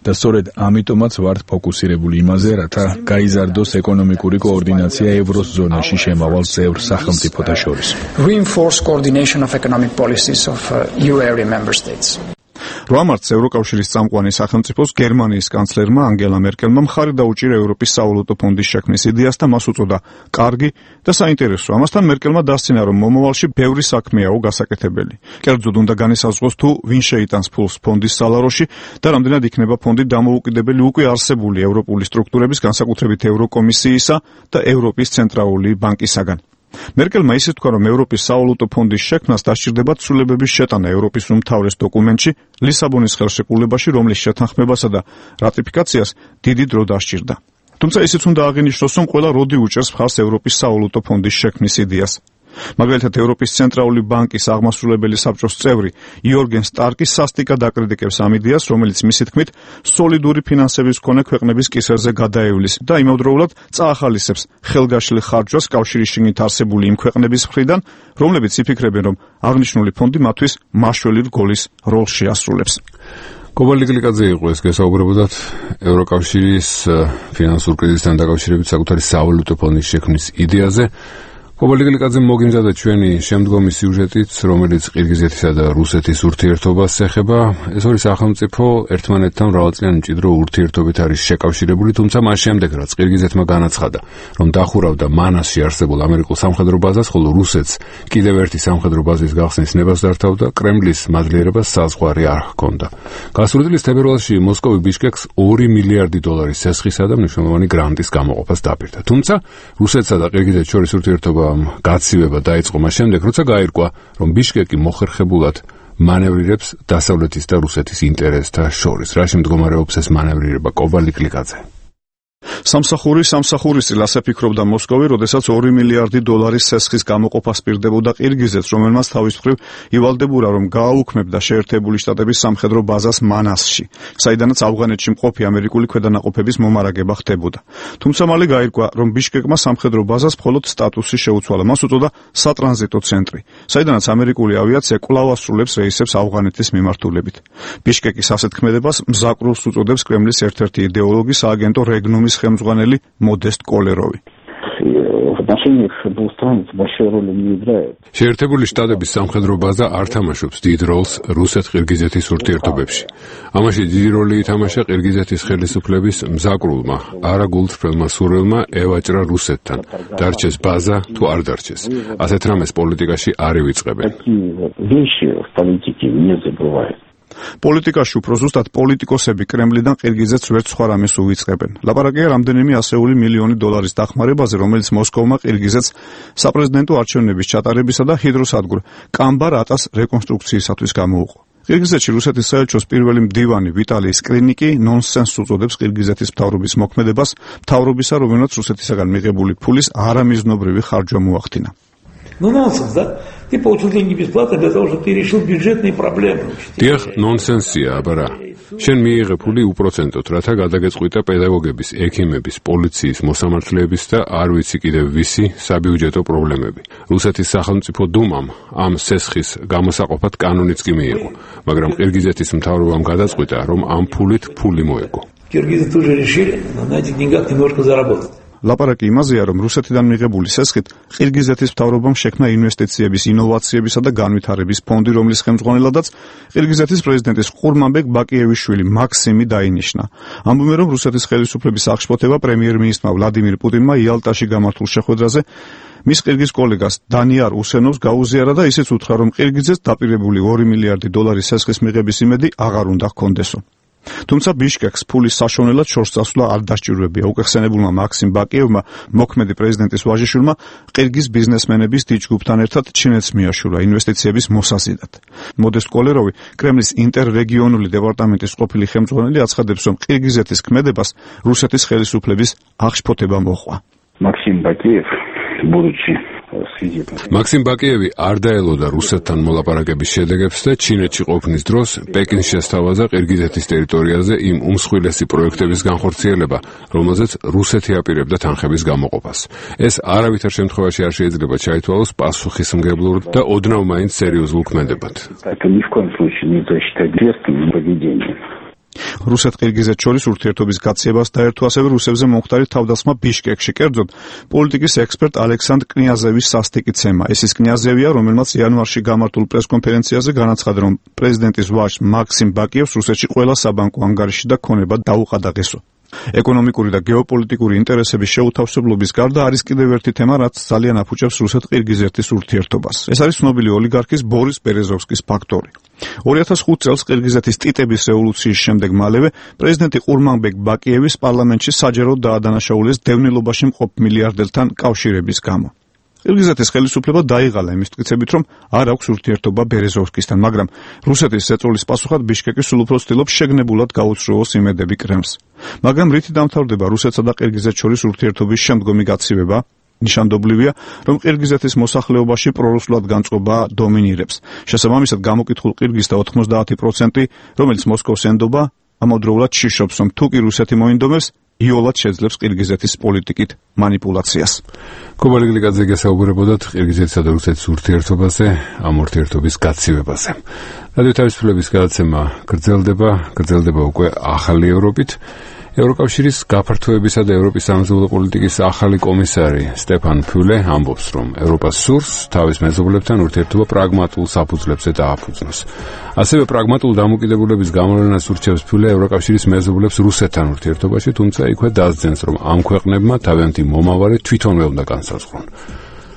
და სწორედ ამიტომაც ვართ ფოკუსირებული იმაზე, რათა გაიზარდოს ეკონომიკური კოორდინაცია ევროზონაში შემავალ წევრ სახელმწიფოთა შორის. Reinforce coordination of economic policies of uh, euro area member states. რვა მარტს ევროკავშირის წამყვანი სახელმწიფოს გერმანიის კანცლერმა ანგელა მერკელმა მხარი დაუჭირა ევროპის სავალუტო ფონდის შექმნის იდეას და მას უწოდა კარგი და საინტერესო. ამასთან მერკელმა დასცინა, რომ მომავალში ბევრი საქმეაო გასაკეთებელი. კერძოდ უნდა განისაზღვროს თუ ვინ შეიტანს ფულს ფონდის სალაროში და რამდენად იქნება ფონდი დამოუკიდებელი უკვე არსებული ევროპული სტრუქტურების, განსაკუთრებით ევროკომისიისა და ევროპის ცენტრალური ბანკისაგან. მერკელმა ისე თქვა, რომ ევროპის სავალუტო ფონდის შექმნას დასჭირდება ცვლილებების შეტანა ევროპის უმთავრეს დოკუმენტში ლისაბონის ხელშეკრულებაში, რომლის შეთანხმებასა და რატიფიკაციას დიდი დრო დასჭირდა. თუმცა ისიც უნდა აღინიშნოს, რომ ყველა როდი უჭერს მხარს ევროპის სავალუტო ფონდის შექმნის იდეას. მაგალითად, ევროპის ცენტრალური ბანკის აღმასრულებელი საბჭოს წევრი იორგენ სტარკი სასტიკად აკრიტიკებს ამ იდეას, რომელიც მისი თქმით სოლიდური ფინანსების მქონე ქვეყნების კისერზე გადაევლის და იმავდროულად წაახალისებს ხელგაშლილ ხარჯვას კავშირის შიგნით არსებული იმ ქვეყნების მხრიდან, რომლებიც იფიქრებენ, რომ აღნიშნული ფონდი მათთვის მაშველი რგოლის როლს შეასრულებს. კობა ლიგლიკაძე იყო ეს გესაუბრებოდათ ევროკავშირის ფინანსურ კრიზისთან დაკავშირებით საკუთარი სავალუტო ფონდის შექმნის იდეაზე. კობა ლიგლიკაძე მოგიმზადა ჩვენი შემდგომი სიუჟეტიც, რომელიც ყირგიზეთისა და რუსეთის ურთიერთობას ეხება. ეს ორი სახელმწიფო ერთმანეთთან მრავალწლიანი მჭიდრო ურთიერთობით არის შეკავშირებული, თუმცა მას შემდეგ, რაც ყირგიზეთმა განაცხადა, რომ დახურავდა მანასში არსებულ ამერიკულ სამხედრო ბაზას, ხოლო რუსეთს კიდევ ერთი სამხედრო ბაზის გახსნის ნებას დართავდა, კრემლის მადლიერებას საზღვარი არ ჰქონდა. გასული წლის თებერვალში მოსკოვი ბიშკეკს ორი მილიარდი დოლარის სესხისა და მნიშვნელოვანი გრანტის გამოყოფას დაპირდა. თუმცა რუსეთსა და ყირგიზეთს შორის ურთიერთობა გაცივება დაიწყო მას შემდეგ, როცა გაირკვა, რომ ბიშკეკი მოხერხებულად მანევრირებს დასავლეთის და რუსეთის ინტერესთა შორის. რაში მდგომარეობს ეს მანევრირება? კობა ლიგლიკაძე. სამსახური სამსახურის წილ ასე ფიქრობდა მოსკოვი, როდესაც ორი მილიარდი დოლარის სესხის გამოყოფას პირდებოდა ყირგიზეთს, რომელმაც თავის მხრივ ივალდებოდა, რომ გააუქმებდა შეერთებული შტატების სამხედრო ბაზას მანასში, საიდანაც ავღანეთში მყოფი ამერიკული ქვედანაყოფების მომარაგება ხდებოდა. თუმცა მალე გაირკვა, რომ ბიშკეკმა სამხედრო ბაზას მხოლოდ სტატუსი შეუცვალა. მას უწოდა სატრანზიტო ცენტრი, საიდანაც ამერიკული ავიაცია კვლავ ასრულებს რეისებს ავღანეთის მიმართულებით. ბიშკეკის ასეთ ქმედებას მზაკრულს უწოდებს კრემლის ერთ-ერთი იდეოლოგი, სააგენტო რეგნუმის ხელმძღვანელი მოდესტ კოლეროვი. შეერთებული შტატების სამხედრო ბაზა არ თამაშობს დიდ როლს რუსეთ-ყირგიზეთის ურთიერთობებში. ამაში დიდი როლი ითამაშა ყირგიზეთის ხელისუფლების მზაკრულმა, არაგულწრფელმა სურვილმა ევაჭრა რუსეთთან. დარჩეს ბაზა თუ არ დარჩეს. ასეთ რამეს პოლიტიკაში არ ივიწყებენ. პოლიტიკაში უფრო ზუსტად პოლიტიკოსები კრემლიდან ყირგიზეთს ვერც სხვა რამეს უვიწყებენ. ლაპარაკია რამდენიმე ასეული მილიონი დოლარის დახმარებაზე, რომელიც მოსკოვმა ყირგიზეთს საპრეზიდენტო არჩევნების ჩატარებისა და ჰიდროსადგურ კამბარ-ატას რეკონსტრუქციისათვის გამოუყო. ყირგიზეთში რუსეთის საელჩოს პირველი მდივანი ვიტალი სკრინიკი ნონსენსს უწოდებს ყირგიზეთის მთავრობის მოქმედებას, მთავრობისა, რომელმაც რუსეთისაგან მიღებული ფულის არამიზნობრივი ხარჯვა მოახდინა. Ну, нонсенс, да? Ты получил деньги бесплатно для того, чтобы ты решил бюджетные проблемы. დიახ, ნონსენსია, აბარა. შენ მიიღე ფული უპროცენტოდ, რათა გადაგეწყვიტა პედაგოგების, ექიმების, პოლიციის, მოსამართლეების და არ ვიცი კიდევ ვისი საბიუჯეტო პრობლემები. რუსეთის სახელმწიფო დუმამ ამ სესხის გამოსაყოფად კანონიც კი მიიღო, მაგრამ ყირგიზეთის მთავრობამ გადაწყვიტა, რომ ამ ფულით ფული მოეგო. Киргизы тоже решили на этих деньгах немножко заработать. ლაპარაკი იმაზეა, რომ რუსეთიდან მიღებული სესხით ყირგიზეთის მთავრობამ შექმნა ინვესტიციების, ინოვაციებისა და განვითარების ფონდი, რომლის ხელმძღვანელადაც ყირგიზეთის პრეზიდენტის ყურმანბეკ ბაკიევის შვილი მაქსიმი დაინიშნა. ამბობენ, რომ რუსეთის ხელისუფლების აღშფოთება პრემიერ-მინისტრმა ვლადიმირ პუტინმა იალტაში გამართულ შეხვედრაზე მის ყირგიზ კოლეგას დანიარ უსენოვს გაუზიარა და ისიც უთხრა, რომ ყირგიზეთს დაპირებული ორი მილიარდი დოლარის სესხის მიღების იმედი აღარ უნდა ჰქონდესო. თუმცა ბიშკეკს ფულის საშონელად შორს წასვლა არ დასჭირვებია. უკეხსენებულმა მაქსიმ ბაკიევმა, მოქმედი პრეზიდენტის ვაჟიშვილმა, ყირგიზ ბიზნესმენების დიდ ჯგუფთან ერთად ჩინეთს მიაშურა ინვესტიციების მოსაზიდად. მოდესტ კოლეროვი, კრემლის ინტერრეგიონული დეპარტამენტის ყოფილი ხელმძღვანელი, აცხადებს, რომ ყირგიზეთის ქმედებას რუსეთის ხელისუფლების აღშფოთება მოჰყვა. მაქსიმ ბაკიევ, будучи მაქსიმ ბაკიევი არ დაელოდა რუსეთთან მოლაპარაკების შედეგებს და ჩინეთში ყოფნის დროს პეკინს შესთავაზა ყირგიზეთის ტერიტორიაზე იმ უმსხვილესი პროექტების განხორციელება, რომელზეც რუსეთი აპირებდა თანხების გამოყოფას. ეს არავითარ შემთხვევაში არ შეიძლება ჩაითვალოს პასუხისმგებლურ და ოდნავ მაინც სერიოზულ ქმედებად. რუსეთ-ყირგიზეთ შორის ურთიერთობის გაცივებას დაერთო ასევე რუსებზე მომხდარი თავდასხმა ბიშკეკში. კერძოდ, პოლიტიკის ექსპერტ ალექსანდრ კნიაზევის სასტიკი-ცემა. ეს ის კნიაზევია, რომელმაც იანვარში გამართულ პრესკონფერენციაზე განაცხადა, რომ პრეზიდენტის ვაჟს მაქსიმ ბაკიევს რუსეთში ყველა საბანკო ანგარიში და ქონება დაუყადაღესო. ეკონომიკური და გეოპოლიტიკური ინტერესების შეუთავსებლობის გარდა არის კიდევ ერთი თემა, რაც ძალიან აფუჭებს რუსეთ-ყირგიზეთის ურთიერთობას. ეს არის ცნობილი ოლიგარქის ბორის ბერეზოვსკის ფაქტორი. ორი ათას ხუთ წელს ყირგიზეთის ტიტების რევოლუციის შემდეგ მალევე პრეზიდენტი ყურმანბეკ ბაკიევის პარლამენტში საჯაროდ დაადანაშაულეს დევნილობაში მყოფ მილიარდერთან კავშირების გამო. ყირგიზეთის ხელისუფლება დაიღალა იმის მტკიცებით, რომ არ აქვს ურთიერთობა ბერეზოვსკისთან, მაგრამ რუსეთის ზეწოლის პასუხად ბიშკეკი სულ უფრო ცდილობს შეგნებულად გაუწროოს იმედები კრემლს. მაგრამ რითი დამთავრდება რუსეთსა და ყირგიზეთს შორის ურთიერთობის შემდგომი გაცივება? ნიშანდობლივია, რომ ყირგიზეთის მოსახლეობაში პრორუსულად განწყობა დომინირებს. შესაბამისად, გამოკითხულ ყირგიზთა ოთხმოცდაათი პროცენტი, რომელიც მოსკოვს ენდობა, ამავდროულად შიშობს, რომ თუ კი რუსეთი მოინდომებს, იოლად შეძლებს ყირგიზეთის პოლიტიკით манипуляციას. კობა ლიგლიკაძე გესაუბრებოდათ ყირგიზეთსა და რუსეთის ურთიერთობაზე, ამ ურთიერთობის გაცივებაზე. რადიო თავისუფლების გადაცემა გრძელდება, გრძელდება უკვე ახალი ევროპით. ევროკავშირის გაფართოებისა და ევროპის სამეზობლო პოლიტიკის ახალი კომისარი სტეფან ფიულე ამბობს, რომ ევროპას სურს თავის მეზობლებთან ურთიერთობა პრაგმატულ საფუძვლებზე დააფუძნოს. ასევე პრაგმატულ დამოკიდებულების გამოვლენას ურჩევს ფიულე ევროკავშირის მეზობლებს რუსეთთან ურთიერთობაში, თუმცა იქვე დასძენს, რომ ამ ქვეყნებმა თავიანთი მომავალი თვითონვე უნდა განსაზღვრონ.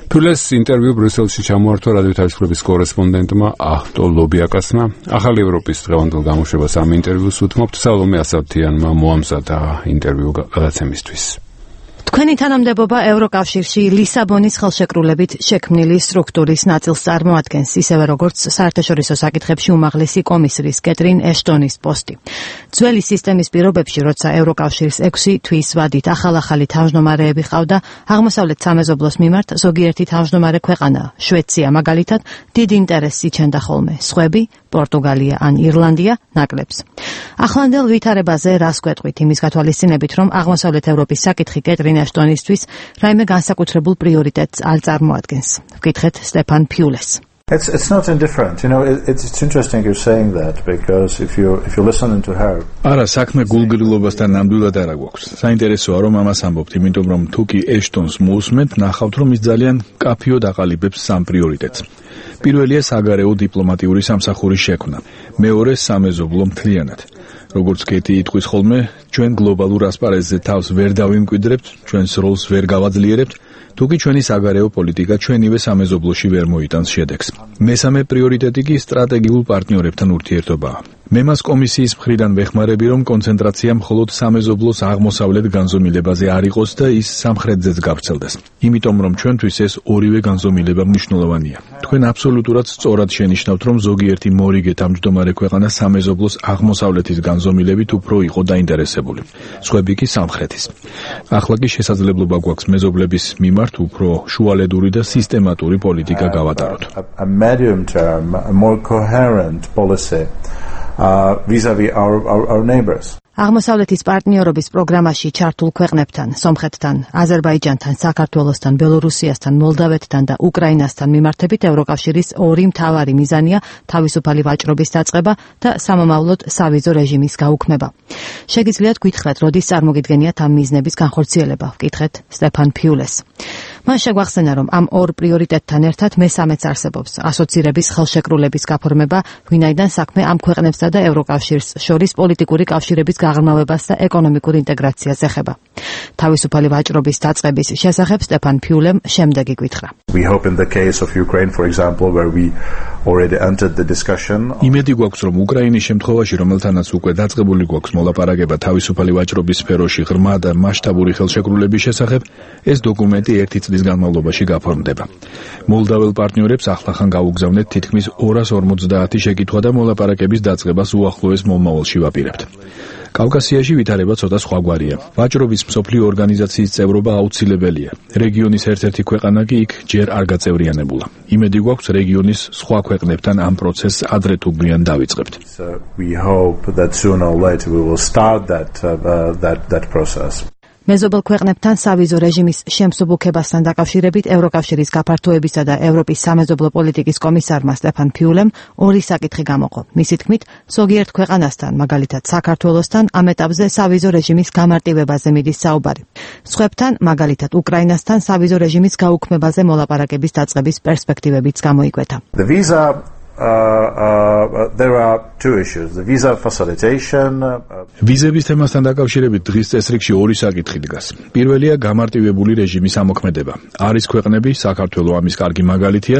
ფიულეს ინტერვიუ ბრიუსელში ჩამოართვა რადიო თავისუფლების კორესპონდენტმა აჰტო ლობიაკასმა. ახალი ევროპის დღევანდელ გამოშვებას ამ ინტერვიუს უთმობთ. სალომე ასათიანმა მოამზადა ინტერვიუ გადაცემისთვის. თქვენი თანამდებობა ევროკავშირში ლისაბონის ხელშეკრულებით შექმნილი სტრუქტურის ნაწილს წარმოადგენს, ისევე როგორც საერთაშორისო საკითხებში უმაღლესი კომისრის კეტრინ ეშტონის პოსტი. ძველი სისტემის პირობებში, როცა ევროკავშირს ექვსი თვის ვადით ახალ-ახალი თავმჯდომარეები ჰყავდა, აღმოსავლეთ სამეზობლოს მიმართ ზოგიერთი თავმჯდომარე ქვეყანა, შვეიცია მაგალითად, დიდ ინტერესს იჩენდა ხოლმე, სხვები, პორტუგალია ან ირლანდია, ნაკლებს. ახლანდელ ვითარებაზე რას გვეტყვით იმის გათვალისწინებით, რომ აღმოსავლეთ ევროპის საკითხი კეტრინ ეშტონისთვის რაიმე განსაკუთრებულ პრიორიტეტს არ წარმოადგენს. ვკითხეთ სტეფან ფიულეს. It's it's not indifferent. You know, it, it's it's interesting you're saying that because if you if you listen to her. არა, საქმე გულგრილობასთან ნამდვილად არ აქვს. საინტერესოა რომ ამას ამბობთ, იმიტომ რომ თუ კი ეშტონს მოусმენთ, ნახავთ რომ ის ძალიან კაფიოდ აყალიბებს სამ პრიორიტეტს. პირველია საგარეო დიპლომატიური სამსახურის შექმნა, მეორე სამეზობლო მთლიანად. როგორც კეთი იტყვის ხოლმე, ჩვენ გლობალურ ასპარეზზე თავს ვერ დავიმკვიდრებთ, ჩვენს როლს ვერ გავაძლიერებთ, თუკი ჩვენი საგარეო პოლიტიკა ჩვენივე სამეზობლოში ვერ მოიტანს შედეგს. მესამე პრიორიტეტი კი სტრატეგიულ პარტნიორებთან ურთიერთობაა. მე მას კომისიის მხრიდან ვეხმარები, რომ კონცენტრაცია მხოლოდ სამეზობლოს აღმოსავლეთ განზომილებაზე არ იყოს და ის სამხრეთზეც გავრცელდეს. იმიტომ რომ ჩვენთვის ეს ორივე განზომილება მნიშვნელოვანია. თქვენ აბსოლუტურად სწორად შენიშნავთ, რომ ზოგიერთი მორიგე თავმჯდომარე ქვეყანა სამეზობლოს აღმოსავლეთის განზომილებით უფრო იყო დაინტერესებული. სხვები კი სამხრეთის. ახლა კი შესაძლებლობა გვაქვს მეზობლების მიმართ უფრო შუალედური და სისტემატური პოლიტიკა გავატაროთ. A medium term, a more coherent policy uh, vis-a-vis our, our, our neighbors. აღმოსავლეთის პარტნიორობის პროგრამაში ჩართულ ქვეყნებთან, სომხეთთან, აზერბაიჯანთან, საქართველოსთან, ბელორუსიასთან, მოლდავეთთან და უკრაინასთან მიმართებით ევროკავშირის ორი მთავარი მიზანია თავისუფალი ვაჭრობის დაწყება და სამომავლოდ სავიზო რეჟიმის გაუქმება. შეგიძლიათ გითხრათ, როდის წარმოგიდგენიათ ამ მიზნების განხორციელება? ვკითხეთ სტეფან ფიულეს. მან შეგვახსენა, რომ ამ ორ პრიორიტეტთან ერთად მესამეც არსებობს, ასოცირების ხელშეკრულების გაფორმება, ვინაიდან საქმე ამ ქვეყნებსა და ევროკავშირს შორის პოლიტიკური კავშირების გაღრმავებას და ეკონომიკურ ინტეგრაციას ეხება. თავისუფალი ვაჭრობის დაწყების შესახებ სტეფან ფიულემ შემდეგი გითხრა. We hope in the case of Ukraine, for example, where we already entered the discussion. იმედი გვაქვს, რომ უკრაინის შემთხვევაში, რომელთანაც უკვე დაწყებული გვაქვს მოლაპარაკება თავისუფალი ვაჭრობის სფეროში ღრმა და მასშტაბური ხელშეკრულების შესახებ, ეს დოკუმენტი ერთი წლის განმავლობაში გაფორმდება. მოლდაվել პარტნიორებს ახლახან გაუგზავნეთ თითქმის ორას ორმოცდაათი შეკითხვა და მოლაპარაკების დაწყებას უახლოეს მომავალში ვაპირებთ. კავკასიაში ვითარება ცოტა სხვაგვარია. ვაჭრობის მსოფლიო ორგანიზაციის წევრობა აუცილებელია. რეგიონის ერთ-ერთი ქვეყანა კი იქ ჯერ არ გაწევრიანებულა. იმედი გვაქვს რეგიონის სხვა ქვეყნებთან ამ პროცესს ადრე თუ გვიან დავიწყებთ. So we hope that sooner or later we will start that uh, that that process. მეზობელ ქვეყნებთან სავიზო რეჟიმის შემსუბუქებასთან დაკავშირებით ევროკავშირის გაფართოებისა და ევროპის სამეზობლო პოლიტიკის კომისარმა სტეფან ფიულემ ორი საკითხი გამოყო. მისი თქმით, ზოგიერთ ქვეყანასთან, მაგალითად საქართველოსთან, ამ ეტაპზე სავიზო რეჟიმის გამარტივებაზე მიდის საუბარი. სხვებთან, მაგალითად უკრაინასთან, სავიზო რეჟიმის გაუქმებაზე მოლაპარაკების დაწყების პერსპექტივებიც გამოიკვეთა. The visa Uh, uh, there are two issues. The visa facilitation. ვიზების თემასთან დაკავშირებით დღის წესრიგში ორი საკითხი დგას. პირველია გამარტივებული რეჟიმის ამოქმედება. არის ქვეყნები, საქართველო ამის კარგი მაგალითია,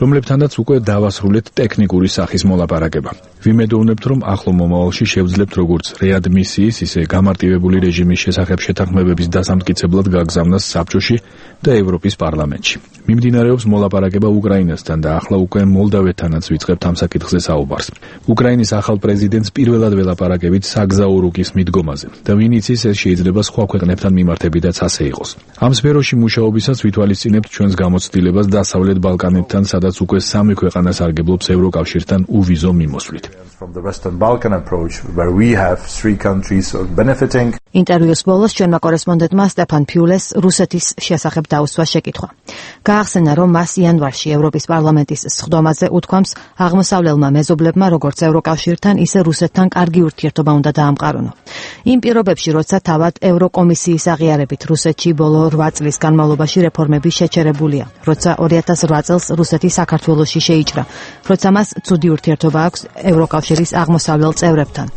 რომლებთანაც უკვე დავასრულეთ ტექნიკური სახის მოლაპარაკება. ვიმედოვნებთ, რომ ახლო მომავალში შევძლებთ როგორც რეადმისიის, ისე გამარტივებული რეჟიმის შესახებ შეთანხმებების დასამტკიცებლად გაგზავნას საბჭოში და ევროპის პარლამენტში. მიმდინარეობს მოლაპარაკება უკრაინასთან და ახლა უკვე მოლდავეთთანაც ვიწყებთ ამ საკითხზე საუბარს. უკრაინის ახალ პრეზიდენტს პირველად ველაპარაკებით საგზაო რუკის მიდგომაზე და ვინ იცის, ეს შეიძლება სხვა ქვეყნებთან მიმართებითაც ასე იყოს. ამ სფეროში მუშაობისას ვითვალისწინებთ ჩვენს გამოცდილებას დასავლეთ ბალკანეთთან, სადაც უკვე სამი ქვეყანა სარგებლობს ევროკავშირთან უვიზო მიმოსვლით. From the Western Balkan approach, where we have three countries benefiting. ინტერვიუს ბოლოს ჩვენმა კორესპონდენტმა სტეფან ფიულეს რუსეთის შესახებ დაუსვა შეკითხვა. გაახსენა, რომ მას იანვარში ევროპის პარლამენტის სხდომაზე უთქვამს აღმოსავლელმა მეზობლებმა როგორც ევროკავშირთან, ისე რუსეთთან კარგი ურთიერთობა უნდა დაამყარონო. იმ პირობებში, როცა თავად ევროკომისიის აღიარებით რუსეთში ბოლო რვა წლის განმავლობაში რეფორმები შეჩერებულია, როცა ორი ათას რვა წელს რუსეთი საქართველოში შეიჭრა, როცა მას ცუდი ურთიერთობა აქვს ევროკავშირის აღმოსავლელ წევრებთან.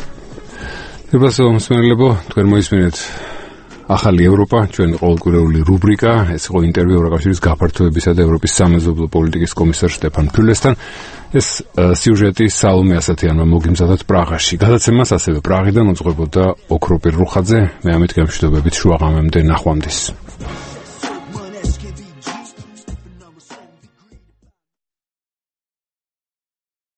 Ευχαριστώ, მსმენელებო, თქვენ მოისმინეთ ახალი ევროპა, ჩვენი ყოველკვირეული რუბრიკა, ეს იყო ინტერვიუ ევროკავშირის გაფართოებისა და ევროპის სამეზობლო პოლიტიკის კომისარ სტეფან ფიულესთან. ეს სიუჟეტი სალომე ასათიანმა მოგიმზადათ პრაღაში. გადაცემას ასევე პრაღიდან უძღვებოდა ოქროპირ რუხაძე. მე ამით გემშვიდობებით შუაღამემდე ნახვამდის.